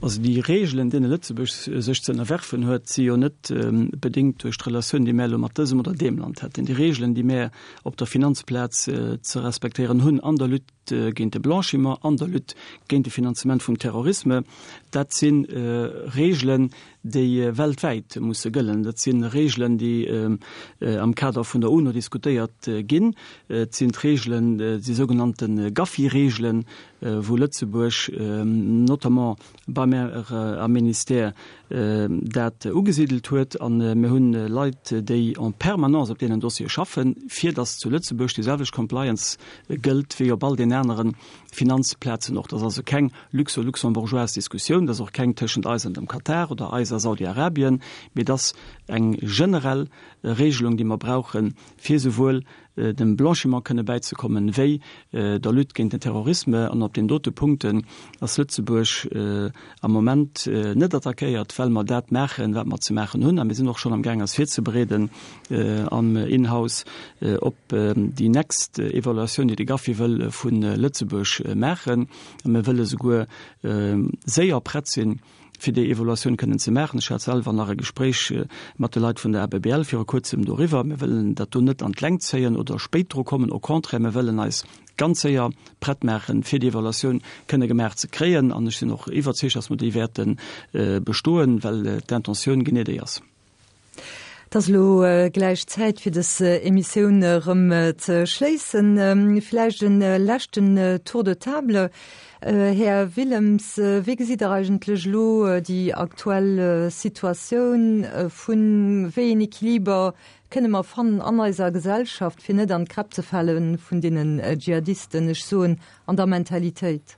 Also déi Regeln, deene Lëtzebuerg sech ze ënnerwerfen huet, si jo net bedéngt duerch d'Relatioun, déi mär elo mat dësem oder deem Land hätten. Déi Regeln, déi mär op der Finanzplaz ze respektéieren hunn an der Lutte Lutte géint de Blanchiment, an der Lutte géint de Finanzement vum Terrorisme. Dat si Regeln, déi weltwäit musse gëllen. Dat si Regeln, déi am Kader vun der UNO diskutéiert ginn. Et sinn d'Regeln, déi sougenannte GAFI-Regeln, wou Lëtzebuerg notamment bei mär am Ministère dat ugesidelt huet. A mir hunn Leit, déi en permanence op deenen Dossiere schaffen, fir datt zu Lëtzebuerg déi selwecht Compliance gëllt wéi op all den anere Finanzplazen och. Dat ass also keng luxo-luxembourgeoise Diskussioun, dat ass och keng tëschent eis an dem Katar oder eis a Saudi-Arabien, mee dat ass eng generell Regelung, déi mer brauchen, fir souwuel dem Blanchiment kënne bäizekommen, wéi der Lutte géint den Terrorisme. An op deenen dote Punkten ass Lëtzebuerg am Moment net attackéiert, well mer dat maachen, wat mer ze maachen hunn. A mir sinn och schonn amgaang eis virzebereeden am Inhouse op déi nächst Evaluatioun, déi de GAFI wëll vu Lëtzebuerg maachen. A mir wëlle souguer séier prett sinn, fir déi Evaluatioun kënnen ze maachen. Ech hat selwer nach e Gespréich mat de Leit vun der ABBL viru kuerzem doriwwer. Mir wëllen dat do net an d'Längt zéien oder spéit dru kommen, au contraire, mir wëllen eis ganz séier prett maachen, fir déi Evaluatioun kënne gemaach ze kréien. An ech sinn och iwwerzeegt, dass mer déi wäerte bestoen, well d'Intentioun genee déi ass.
Et ass elo gläich Zäit fir dës Emissioun erëm ze schléissen. Vläicht en leschten Tour de table. Här Willems, wéi gesitt Der eigentlech elo déi aktuell Situatioun vun, wéi een Equiliber kënne mer fannen an eiser Gesellschaft, fir net an d'Kräpp ze fale vun deenen Dschihadisten, ech soen an der Mentalitéit?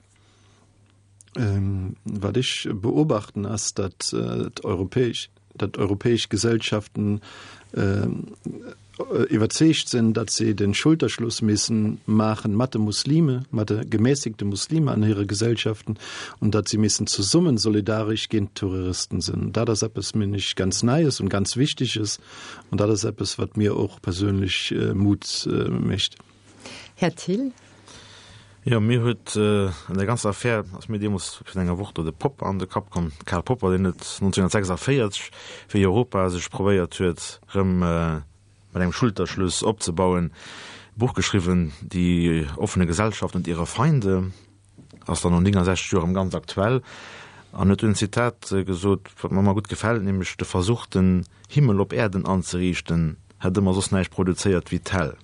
Wat ech beobachten ass, datt d'europäesch datt europäesch Gesellschaften iwwerzeegt sinn, datt se den Schulterschluss missen maachen mat de Muslime, mat de gemäßigte Muslime an hire Gesellschaften und datt sie missen zesummen solidarisch géint Terroristen sinn. Dat ass eppes, mengen ech, ganz Neies und ganz Wichtiges und dat ass eppes, wat mir och perséinlech Mut mécht.
Här Thill.
Jo, mir huet an der ganzer Affär, ass mir deemools virun enger Woch do de Popper an de Kapp komm, de Karl Popper, deen huet nonzénhunnertsechsundvéierzeg, wéi Europa sech probéiert huet, erëm mat engem Schulterschluss opzebauen, e Buch geschriwwen, Die offene Gesellschaft und ihre Feinde, ass dann no néngungsechzeg Joer erëm ganz aktuell, an huet dunn en Zitat gesot, wat mer ëmmer gutt gefält, nämlech, De Versuch, den Himmel op Äerden anzeriichten, hätt ëmmer soss näischt produzéiert wéi d'Häll.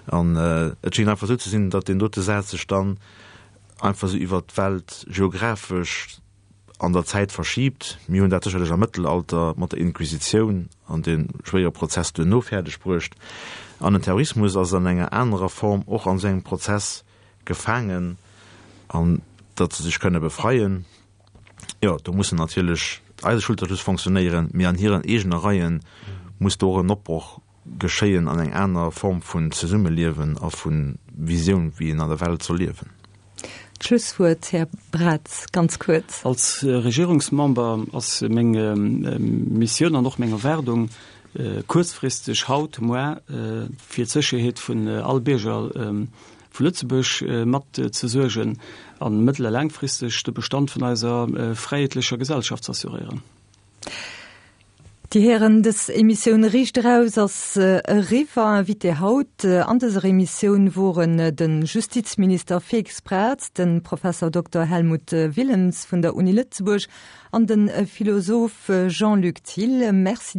An et schéngt einfach esou ze sinn, datt deen dote Saz sech dann einfach esou iwwert d'Welt geographesch an der Zäit verschiibt. Mir hunn dat sécherlech am Mëttelalter mat der Inquisitioun an de schwéiere Prozess duerno fäerdeg bruecht. An den Terrorismus ass an enger anerer Form och an esou engem Prozess gefaangen, an datt se sech kënne befreien, jo, do mussen natierlech eise Schulterschluss fonctionnéieren, mee an hiren eegene Reie muss do och en Opbroch geschéien an eng aner Form vun Zesummeliewen a vu Visioun, wéi een an der Welt soll liewen.
D'Schlusswuert, Här Braz, ganz kuerz.
Als Regierungsmember ass meng Missioun an och meng Erwaardung, kuerzfristeg, haut, muar, fir d'Sécherheet vun all Bierger vu Lëtzebuerg mat ze suergen an mëttel a laangfristeg de Bestand vun eiser fräiheetlecher Gesellschaft z'assuréieren.
Dir Hären, dës Emissioun Riicht eraus ass eriwwer. Invité haut an dëser Emissioun woren de Justizminister Félix Braz, de Professor Dokter Helmut Willems vun der Uni Lëtzebuerg an de Philosoph Jean-Luc Thill. Merci.